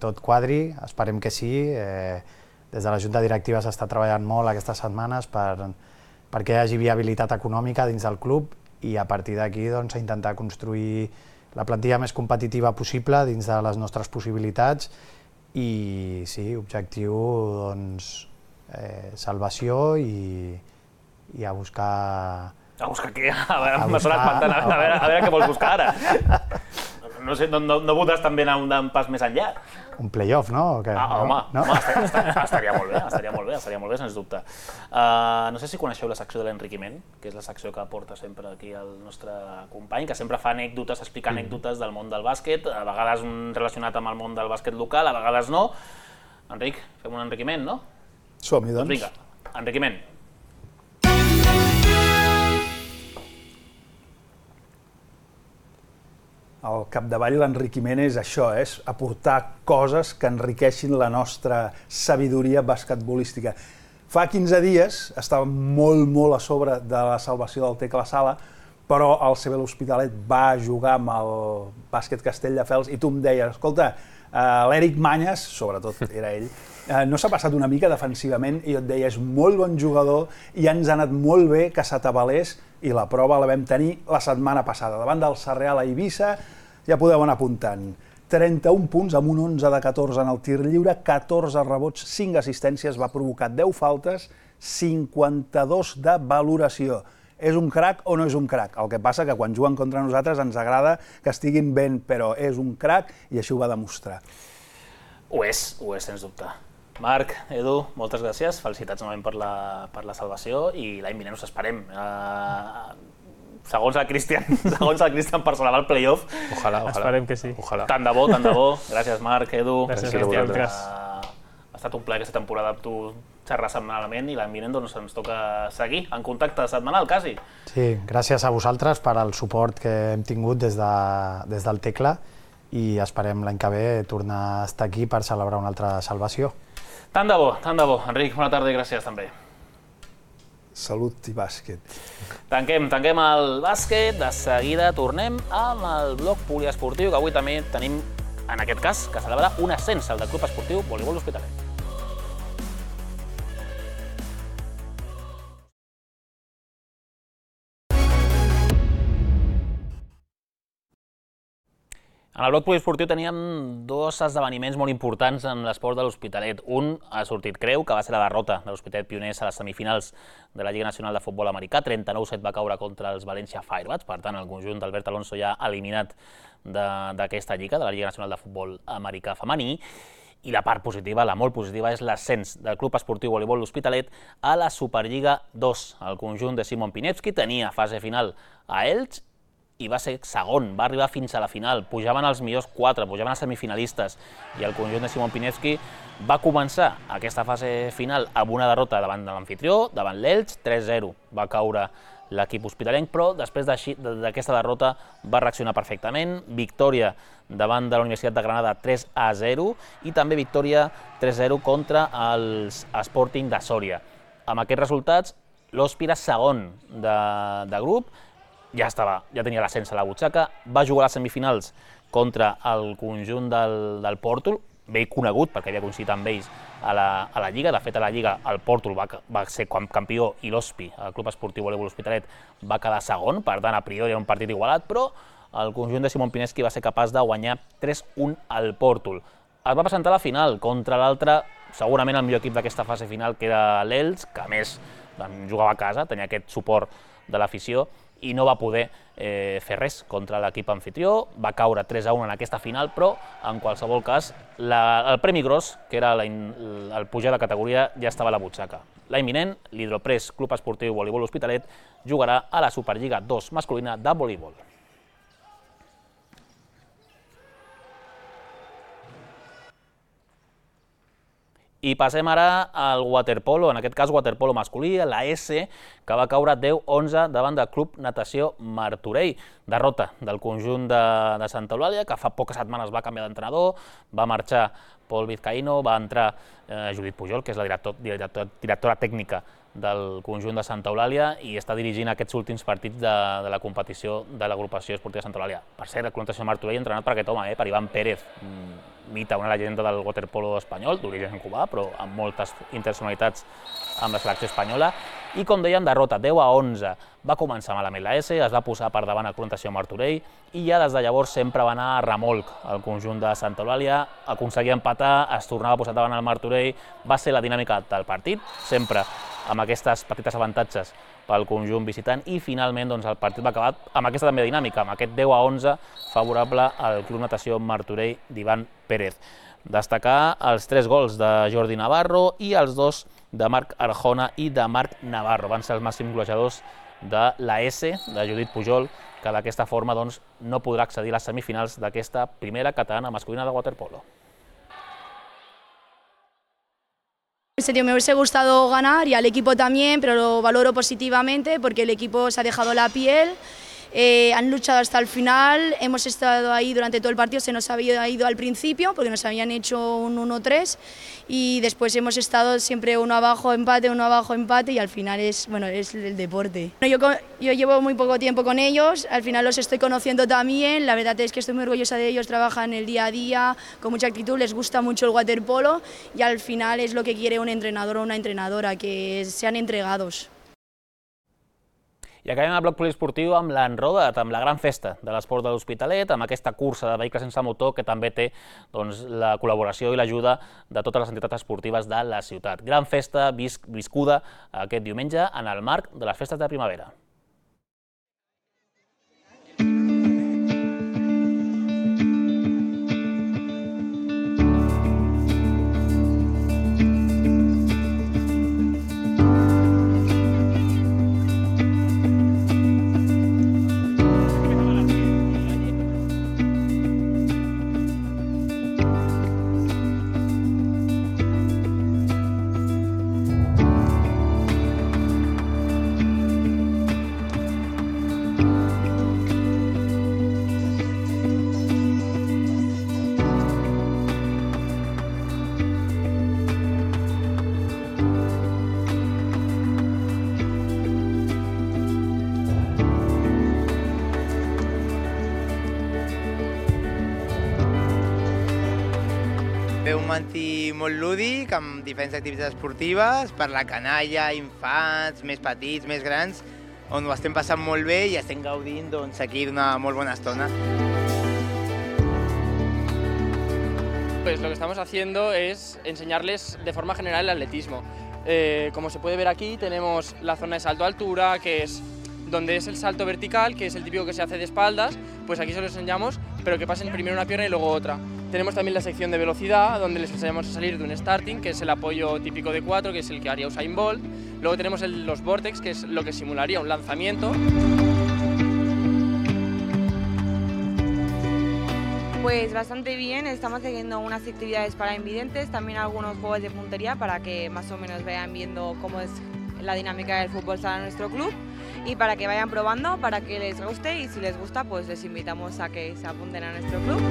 tot quadri, esperem que sí. Eh, des de la Junta Directiva s'està treballant molt aquestes setmanes per, perquè hi hagi viabilitat econòmica dins del club i a partir d'aquí doncs, intentar construir la plantilla més competitiva possible dins de les nostres possibilitats i sí, objectiu doncs, eh, salvació i, i a buscar... A buscar què? A veure, m'ha sonat espantant, a veure, a veure què vols buscar ara. No sé, no, no, no voldràs també anar un pas més enllà? Un play-off, no? Que, ah, home, no? home estaria, estaria, estaria molt bé, estaria molt bé, estaria molt bé, sens dubte. Uh, no sé si coneixeu la secció de l'enriquiment, que és la secció que porta sempre aquí el nostre company, que sempre fa anècdotes, explica anècdotes del món del bàsquet, a vegades relacionat amb el món del bàsquet local, a vegades no. Enric, fem un enriquiment, no? Som-hi, doncs. Doncs vinga, enriquiment. Al capdavall l'enriquiment és això, és aportar coses que enriqueixin la nostra sabidoria basquetbolística. Fa quinze dies estava molt, molt a sobre de la salvació del Tecla Sala, però el C B L'Hospitalet va jugar amb el bàsquet Castelldefels i tu em deies, escolta, l'Eric Manyes, sobretot era ell, no s'ha passat una mica defensivament i jo et deia, és molt bon jugador i ens ha anat molt bé que s'atabalés i la prova la vam tenir la setmana passada. Davant del Sarreal a Eivissa ja podeu anar apuntant. trenta-un punts amb un onze de catorze en el tir lliure, catorze rebots, cinc assistències, va provocar deu faltes, cinquanta-dos de valoració. És un crac o no és un crac? El que passa que quan juguen contra nosaltres ens agrada que estiguin ben, però és un crac i així ho va demostrar. Ho és, ho és, sens dubte. Marc, Edu, moltes gràcies, felicitats novament per la, per la salvació i l'any vinent us esperem. Uh, segons el Cristian, segons el Cristian per celebrar el play-off. Ojalà, ojalà. Esperem que sí. Ojalà. Tant de bo, tant de bo. Gràcies, Marc, Edu. Gràcies, Cristian. Cristian. Uh, ha estat un plaer aquesta temporada amb tu xerrar setmanalment i l'any vinent doncs, ens toca seguir en contacte setmanal, quasi. Sí, gràcies a vosaltres per al suport que hem tingut des, de, des del Tecla i esperem l'any que ve tornar a estar aquí per celebrar una altra salvació. Tant de bo, tant de bo. Enric, bona tarda i gràcies també. Salut i bàsquet. Tanquem, tanquem el bàsquet, de seguida tornem amb el bloc poliesportiu, que avui també tenim, en aquest cas, que celebra un ascens al del Club Esportiu Voleibol L'Hospitalet. En el bloc poliesportiu teníem dos esdeveniments molt importants en l'esport de l'Hospitalet. Un ha sortit creu, que va ser la derrota de l'Hospitalet Pioners a les semifinals de la Lliga Nacional de Futbol Americà. trenta-nou set va caure contra els València Firebats, per tant el conjunt d'Albert Alonso ja eliminat d'aquesta lliga, de la Lliga Nacional de Futbol Americà femení. I la part positiva, la molt positiva, és l'ascens del Club Esportiu Voleibol L'Hospitalet a la Superliga dos. El conjunt de Simon Pinevski tenia fase final a Elx i va ser segon, va arribar fins a la final, pujaven els millors quatre, pujaven els semifinalistes, i el conjunt de Simon Pinevski va començar aquesta fase final amb una derrota davant de l'anfitrió, davant l'Elx, tres zero, va caure l'equip hospitalenc, però després d'aquesta derrota va reaccionar perfectament, victòria davant de la Universitat de Granada tres a zero i també victòria tres zero contra els Sporting de Sòria. Amb aquests resultats, l'Hòspira segon de grup, ja estava, ja tenia l'ascens a la butxaca, va jugar a les semifinals contra el conjunt del Pòrtol, bé conegut perquè havia coincidit amb ells a la Lliga. De fet, a la Lliga el Pòrtol va ser campió i l'Hospi, el Club Esportiu Voleibol L'Hospitalet, va quedar segon, per tant, a priori era un partit igualat, però el conjunt de Simon Pinevski va ser capaç de guanyar tres un al Pòrtol. Es va presentar a la final contra l'altre, segurament el millor equip d'aquesta fase final, que era l'Elx, que a més jugava a casa, tenia aquest suport de l'afició, i no va poder fer res contra l'equip anfitrió, va caure tres a un en aquesta final, però en qualsevol cas el premi gros, que era el pujar de categoria, ja estava a la butxaca. L'any vinent, l'Hidropress Club Esportiu Voleibol L'Hospitalet jugarà a la Superliga dos masculina de voleibol. I passem ara al waterpolo, en aquest cas waterpolo masculí, la S, que va caure deu onze davant del Club Natació Martorell. Derrota del conjunt de Santa Eulàlia, que fa poques setmanes va canviar d'entrenador, va marxar Pol Vizcaíno, va entrar Judit Pujol, que és la directora tècnica del conjunt de Santa Eulàlia i està dirigint aquests últims partits de la competició de l'agrupació esportiva de Santa Eulàlia. Per cert, el Club Natació Martorell entrenat per aquest home, per Iván Pérez, mita, una llegenda del waterpolo espanyol, d'origen cubà, però amb moltes internacionalitats amb la selecció espanyola. I, com dèiem, derrota deu a onze. Va començar malament la S, es va posar per davant el Club Natació Martorell i ja des de llavors sempre va anar a remolc el conjunt de Santa Eulàlia, aconseguia empatar, es tornava a posar davant el Martorell, va ser la dinàmica del partit, sempre amb aquestes petites avantatges pel conjunt visitant, i finalment el partit va acabar amb aquesta també dinàmica, amb aquest deu a onze favorable al Club Natació Martorell d'Iván Pérez. Destacar els tres gols de Jordi Navarro i els dos de Marc Arjona i de Marc Navarro. Van ser els màxims golejadors de la S, de Judit Pujol, que d'aquesta forma no podrà accedir a les semifinals d'aquesta primera catalana masculina de waterpolo. En serio, me hubiese gustado ganar y al equipo también, pero lo valoro positivamente porque el equipo se ha dejado la piel, eh, han luchado hasta el final, hemos estado ahí durante todo el partido, se nos había ido al principio porque nos habían hecho un uno tres y después hemos estado siempre uno abajo, empate, uno abajo, empate y al final es, bueno, es el deporte. Yo, yo llevo muy poco tiempo con ellos, al final los estoy conociendo también, la verdad es que estoy muy orgullosa de ellos, trabajan el día a día con mucha actitud, les gusta mucho el waterpolo y al final es lo que quiere un entrenador o una entrenadora, que sean entregados. I acabem el bloc poliesportiu amb l'Enrodat, amb la gran festa de l'esport de l'Hospitalet, amb aquesta cursa de vehicles sense motor que també té la col·laboració i l'ajuda de totes les entitats esportives de la ciutat. Gran festa viscuda aquest diumenge en el marc de les festes de primavera. Un mantí molt lúdic, amb diferents activitats esportives, per la canalla, infants, més petits, més grans, on ho estem passant molt bé i estem gaudint aquí d'una molt bona estona. pues lo que estamos haciendo es enseñarles de forma general el atletismo. Eh, como se puede ver aquí, tenemos la zona de salto a altura, que es donde es el salto vertical, que es el típico que se hace de espaldas, pues aquí se lo enseñamos, pero que pasen primero una pierna y luego otra. Tenemos también la sección de velocidad, donde les enseñamos a salir de un starting, que es el apoyo típico de cuatro, que es el que haría Usain Bolt. Luego tenemos el, los vortex, que es lo que simularía un lanzamiento. Pues bastante bien, estamos haciendo unas actividades para invidentes, también algunos juegos de puntería para que más o menos vayan viendo cómo es la dinámica del fútbol sala en nuestro club y para que vayan probando, para que les guste, y si les gusta pues les invitamos a que se apunten a nuestro club.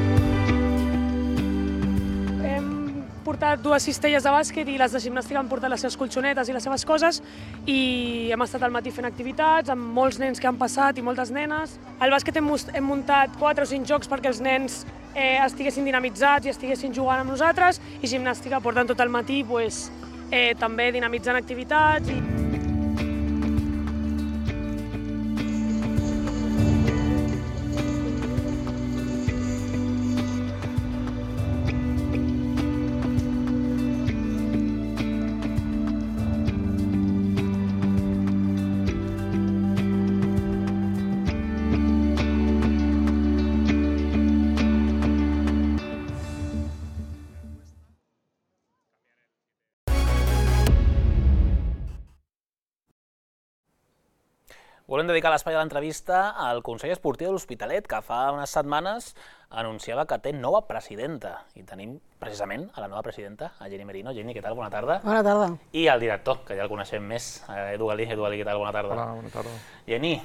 Hem portat dues cistelles de bàsquet i les de gimnàstica han portat les seves colxonetes i les seves coses i hem estat al matí fent activitats amb molts nens que han passat i moltes nenes. Al bàsquet hem, hem muntat quatre o cinc jocs perquè els nens eh, estiguessin dinamitzats i estiguessin jugant amb nosaltres, i gimnàstica portant tot el matí pues, eh, també dinamitzant activitats. I... Volem dedicar l'espai de l'entrevista al Consell Esportiu de l'Hospitalet, que fa unes setmanes anunciava que té nova presidenta. I tenim precisament a la nova presidenta, a Jenny Merino. Jenny, què tal? Bona tarda. Bona tarda. I al director, que ja el coneixem més, Edu Galí. Edu Galí, què tal? Bona tarda. Hola, bona tarda. Jenny,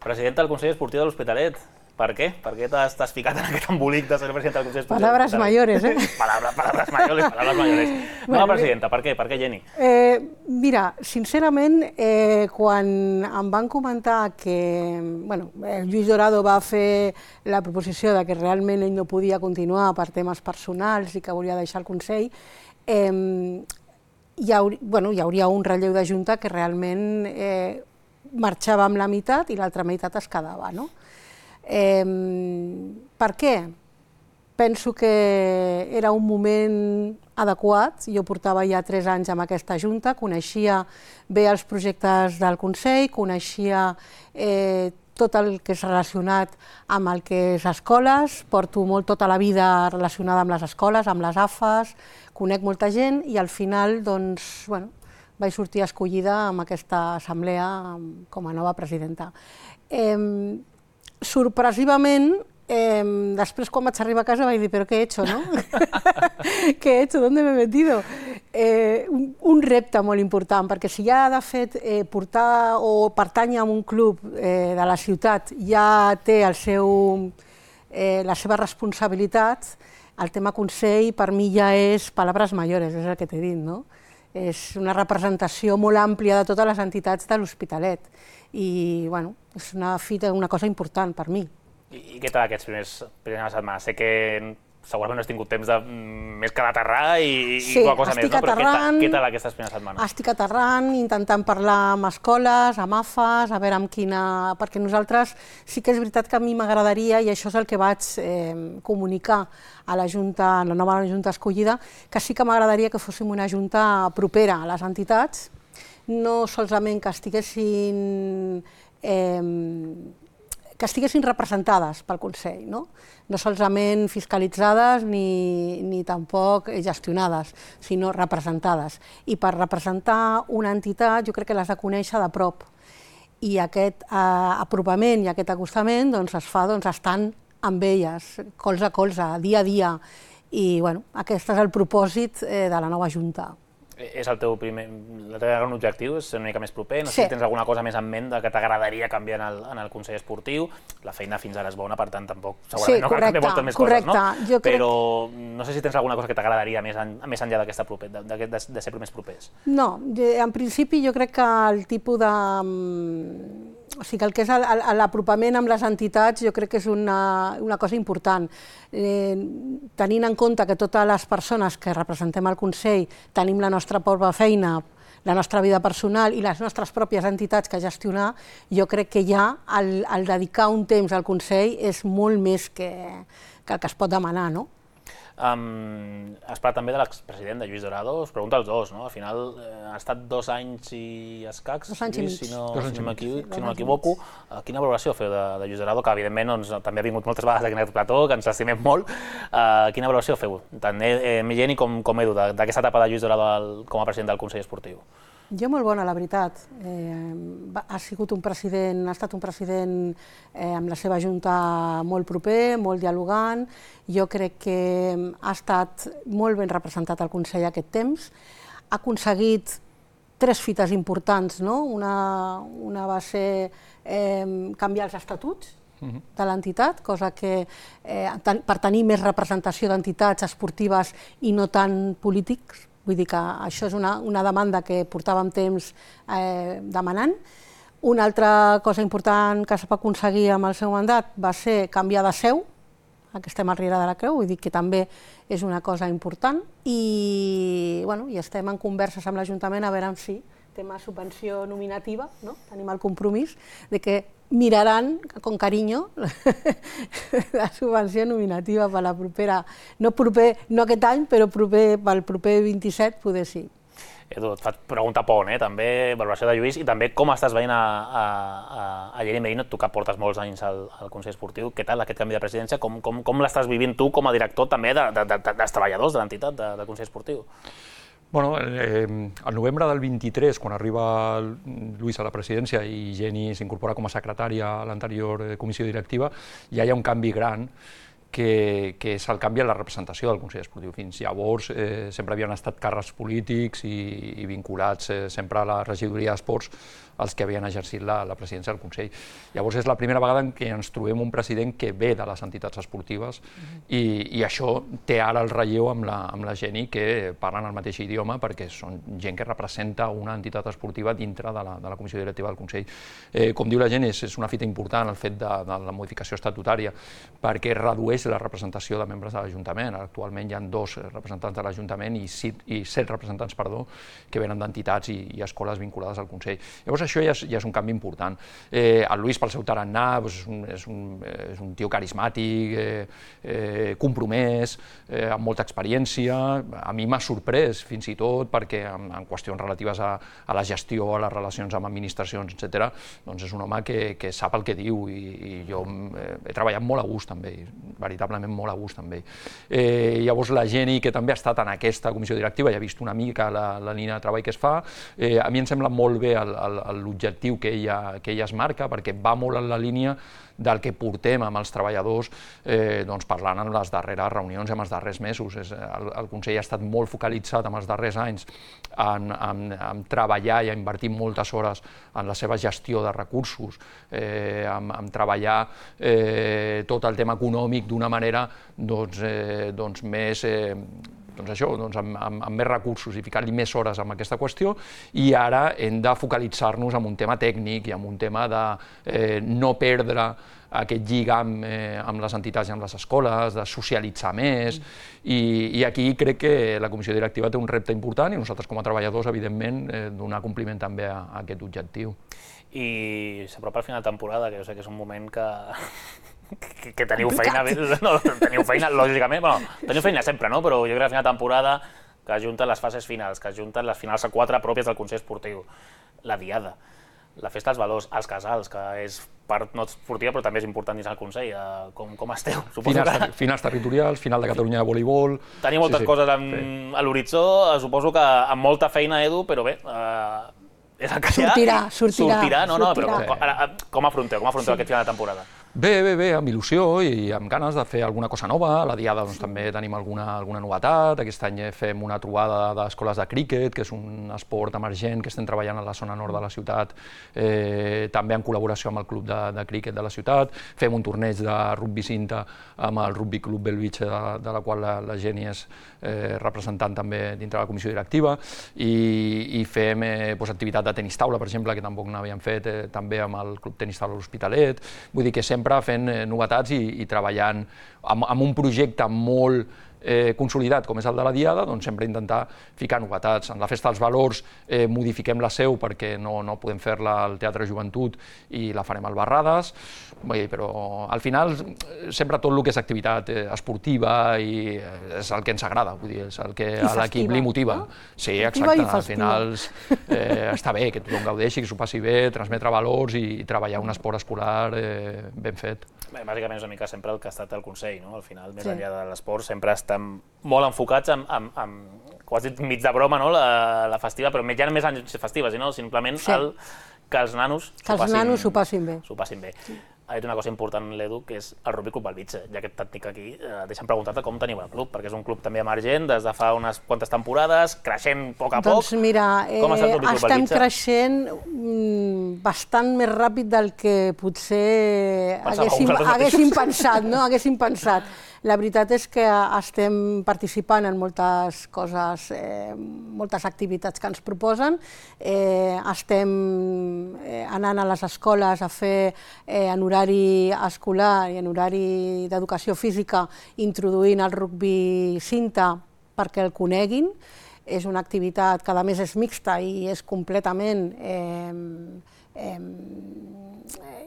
presidenta del Consell Esportiu de l'Hospitalet. Per què? Per què t'has ficat en aquest embolic de ser presidenta del Consell Esportiu? Palabras mayores, ¿eh? Palabras, palabras mayores, palabras mayores. Nova bueno, presidenta, per què? Per què, Jenny? Eh, mira, sincerament, eh, quan em van comentar que bueno, el Lluís Dorado va fer la proposició de que realment ell no podia continuar per temes personals i que volia deixar el Consell, eh, hi, hauri, bueno, hi hauria un relleu de Junta que realment eh, marxava amb la meitat i l'altra meitat es quedava, no? Eh, per què? Penso que era un moment adequat. Jo portava ja tres anys amb aquesta Junta, coneixia bé els projectes del Consell, coneixia eh, tot el que és relacionat amb el que és escoles, porto molt tota la vida relacionada amb les escoles, amb les A F As, conec molta gent i al final doncs, bueno, vaig sortir escollida amb aquesta assemblea com a nova presidenta. Eh, Sorpresivament, eh, després quan vaig arribar a casa vaig dir, però què he hecho, no? ¿Qué he hecho? ¿Dónde me he metido? Eh, un, un repte molt important, perquè si ja de fet eh, portar o pertànyer a un club eh, de la ciutat ja té el seu, eh, la seva responsabilitat, el tema Consell per mi ja és palabras mayores, és el que t'he dit, no? És una representació molt àmplia de totes les entitats de l'Hospitalet i bueno, és una fita, una cosa important per mi. I, i què tal aquests primers, primeres setmanes? Sé que segurament no has tingut temps de més que d'aterrar i, sí, i qualque cosa més, no? Però aterrant, què, què tal aquestes primeres setmanes? Estic aterrant, intentant parlar amb escoles, amb A F As, a veure amb quina... Perquè nosaltres sí que és veritat que a mi m'agradaria, i això és el que vaig eh, comunicar a la Junta, a la nova Junta escollida, que sí que m'agradaria que fóssim una Junta propera a les entitats, no solament que estiguessin, eh, que estiguessin representades pel Consell, no? No solament fiscalitzades ni, ni tampoc gestionades, sinó representades. I per representar una entitat jo crec que l'has de conèixer de prop. I aquest eh, apropament i aquest acostament doncs, es fa doncs, estant amb elles, colze a colze, dia a dia. I bueno, aquest és el propòsit eh, de la nova Junta. És el teu primer, el teu gran objectiu, és ser una mica més proper? No sé sí. si tens alguna cosa més en ment que t'agradaria canviar en el, en el Consell Esportiu. La feina fins ara és bona, per tant, tampoc segurament sí, no cal canviar moltes més correcte. coses, no? Jo crec... Però no sé si tens alguna cosa que t'agradaria més, en, més enllà d'aquesta proper, de, de, de, de ser més propers. No, en principi jo crec que el tipus de... O sigui, el que és l'apropament amb les entitats jo crec que és una, una cosa important. Eh, tenint en compte que totes les persones que representem el Consell tenim la nostra pròpia feina, la nostra vida personal i les nostres pròpies entitats que gestionar, jo crec que ja el, el dedicar un temps al Consell és molt més que, que el que es pot demanar, no? Um, has parlat també de l'expresident, de Lluís Dorado. Us pregunto als dos, no? Al final eh, ha estat dos anys i escacs, dos anys i mig. si no, Dos si no anys i m'equivoco. Uh, quina valoració feu de, de Lluís Dorado, que evidentment doncs, també ha vingut moltes vegades aquí en aquest plató, que ens l'estimem molt. Uh, quina valoració feu, tant eh, Milleni com, com Edu, d'aquesta etapa de Lluís Dorado al, com a president del Consell Esportiu? Jo molt bona, la veritat. Eh, ha sigut un president, ha estat un president eh, amb la seva junta molt proper, molt dialogant. Jo crec que ha estat molt ben representat al Consell aquest temps. Ha aconseguit tres fites importants, no? Una, una va ser eh, canviar els estatuts de l'entitat, cosa que eh, per tenir més representació d'entitats esportives i no tant polítics. Vull dir que això és una, una demanda que portàvem temps eh, demanant. Una altra cosa important que es va aconseguir amb el seu mandat va ser canviar de seu, que estem a Riera de la Creu, vull dir que també és una cosa important. I, bueno, i estem en converses amb l'Ajuntament a veure si tema subvenció nominativa, no? Tenim el compromís de que miraran con cariño la subvenció nominativa per la propera, no, proper, no aquest any, però proper, pel proper vint-i-set poder sí. Edu, et faig pregunta pont, eh? També valoració de Lluís i també com estàs veient a, a, a, a Lleni Merino, tu que portes molts anys al, al Consell Esportiu, què tal aquest canvi de presidència, com, com, com l'estàs vivint tu com a director també de, de, de, dels treballadors de l'entitat de, del Consell Esportiu? Bueno, eh, al novembre del vint-i-tres, quan arriba Lluís a la presidència i Jenny s'incorpora com a secretària a l'anterior comissió directiva, ja hi ha un canvi gran que, que és el canvi en la representació del Consell Esportiu. Fins llavors eh, sempre havien estat càrrecs polítics i, i vinculats eh, sempre a la regidoria d'esports els que havien exercit la, la presidència del Consell. Llavors és la primera vegada en què ens trobem un president que ve de les entitats esportives i, i això té ara el relleu amb la, amb la Jenny, que parlen el mateix idioma perquè són gent que representa una entitat esportiva dintre de la, de la comissió directiva del Consell. Eh, com diu la Jenny, és, és una fita important el fet de, de la modificació estatutària perquè redueix la representació de membres de l'Ajuntament. Actualment hi ha dos representants de l'Ajuntament i, i set representants perdó, que venen d'entitats i, i escoles vinculades al Consell. Llavors això ja és, ja és un canvi important. Eh, el Lluís, pel seu tarannà, doncs és, un, és, un, és un tio carismàtic, eh, eh, compromès, eh, amb molta experiència. A mi m'ha sorprès, fins i tot, perquè en, en qüestions relatives a, a la gestió, a les relacions amb administracions, etcètera, doncs és un home que, que sap el que diu i, i jo eh, he treballat molt a gust amb ell, veritablement molt a gust amb ell. Eh, llavors la Jenny, que també ha estat en aquesta comissió directiva i ha vist una mica la, la línia de treball que es fa, eh, a mi em sembla molt bé el, el, l'objectiu que ella, que ella es marca, perquè va molt en la línia del que portem amb els treballadors eh, doncs parlant en les darreres reunions i en els darrers mesos. És, el, el Consell ha estat molt focalitzat en els darrers anys en, en, en treballar i a invertir moltes hores en la seva gestió de recursos, eh, en, en treballar eh, tot el tema econòmic d'una manera doncs, eh, doncs més... Eh, doncs això, doncs amb, amb, amb més recursos i ficar-li més hores en aquesta qüestió, i ara hem de focalitzar-nos en un tema tècnic i en un tema de eh, no perdre aquest lligam eh, amb les entitats i amb les escoles, de socialitzar més, i, i aquí crec que la comissió directiva té un repte important i nosaltres com a treballadors, evidentment, eh, donar compliment també a, a aquest objectiu. I s'apropa el final de temporada, que jo sé que és un moment que... Que, que teniu feina, no, teniu feina, lògicament, bueno, teniu feina sempre, no? Però jo crec que al final de temporada que ajunten les fases finals, que ajunten les finals a quatre pròpies del Consell Esportiu, la diada, la festa dels valors, els casals, que és part no esportiva però també és important dins el Consell. Com, com esteu? Finals, que... finals territorials, final de Catalunya de voleibol... Tenim moltes sí, sí. coses en, sí. a l'horitzó, suposo que amb molta feina, Edu, però bé... Eh, és el que sortirà, hi ha. sortirà, sortirà. No, no, sortirà. Però ara, com afronteu, com afronteu sí. aquest final de temporada? Bé, bé, bé, amb il·lusió i amb ganes de fer alguna cosa nova. A la Diada doncs, també tenim alguna, alguna novetat. Aquest any fem una trobada d'escoles de críquet, que és un esport emergent que estem treballant a la zona nord de la ciutat, eh, també en col·laboració amb el club de, de críquet de la ciutat. Fem un torneig de rugby cinta amb el Rugby Club Bellvitge, de, de la qual la, la Jenny és eh, representant també dintre de la comissió directiva, i, i fem eh, doncs, activitat de tenis taula, per exemple, que tampoc n'havíem fet, eh, també amb el Club Tenis Taula L'Hospitalet. Vull dir que sempre fent novetats i, i treballant amb, amb un projecte molt consolidat com és el de la Diada, doncs sempre intentar ficar novetats. En la Festa dels Valors modifiquem la seu perquè no podem fer-la al Teatre Joventut i la farem al Barrades, però al final sempre tot el que és activitat esportiva i és el que ens agrada, vull dir, és el que a l'equip li motiva. Sí, exacte, al final està bé que tothom gaudeixi, que s'ho passi bé, transmetre valors i treballar un esport escolar ben fet. Bàsicament és una mica sempre el que ha estat el Consell, no? Al final, més enllà de l'esport, sempre estan molt enfocats en, quasi mig de broma, la festiva, però ja no més anys festives, sinó simplement que els nanos s'ho passin bé. S'ho passin bé. Ha dit una cosa important, l'Edu, que és el Rugby Club Balbitxa. Ja que et tinc aquí, deixa'm preguntar-te com teniu el club, perquè és un club també emergent des de fa unes quantes temporades, creixent a poc a poc. Doncs mira, estem creixent bastant més ràpid del que potser haguéssim pensat, no? Haguéssim pensat. La veritat és que estem participant en moltes coses, moltes activitats que ens proposen. Estem anant a les escoles a fer en horari escolar i en horari d'educació física, introduint el rugby cinta perquè el coneguin. És una activitat que a més és mixta i és completament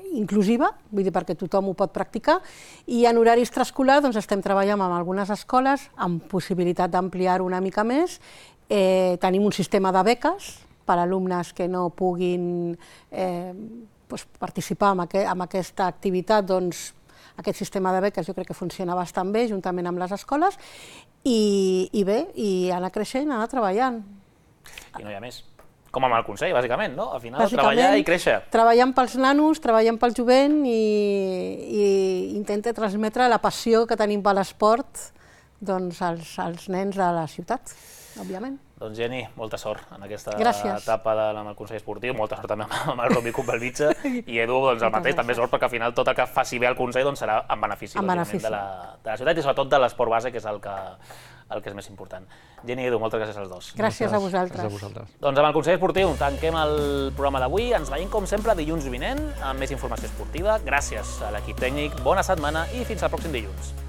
inclusiva, vull dir, perquè tothom ho pot practicar, i en horari extraescolar estem treballant amb algunes escoles amb possibilitat d'ampliar-ho una mica més. Tenim un sistema de beques per a alumnes que no puguin participar en aquesta activitat. Aquest sistema de beques jo crec que funciona bastant bé, juntament amb les escoles, i bé, i anar creixent, anar treballant. I no hi ha més. Com amb el Consell, bàsicament, no? Al final, treballar i créixer. Treballant pels nanos, treballant pel jovent i intenta transmetre la passió que tenim per l'esport als nens de la ciutat, òbviament. Doncs Jenny, molta sort en aquesta etapa amb el Consell Esportiu, molta sort també amb el Rugby Club Balbitxa, i Edu, el mateix, també sort, perquè al final tot el que faci bé el Consell serà en benefici de la ciutat i sobretot de l'esport base, que és el que el que és més important. Jenny i Edu, moltes gràcies als dos. Gràcies a vosaltres. Doncs amb el Consell Esportiu tanquem el programa d'avui. Ens veiem, com sempre, dilluns vinent amb més informació esportiva. Gràcies a l'equip tècnic, bona setmana i fins al pròxim dilluns.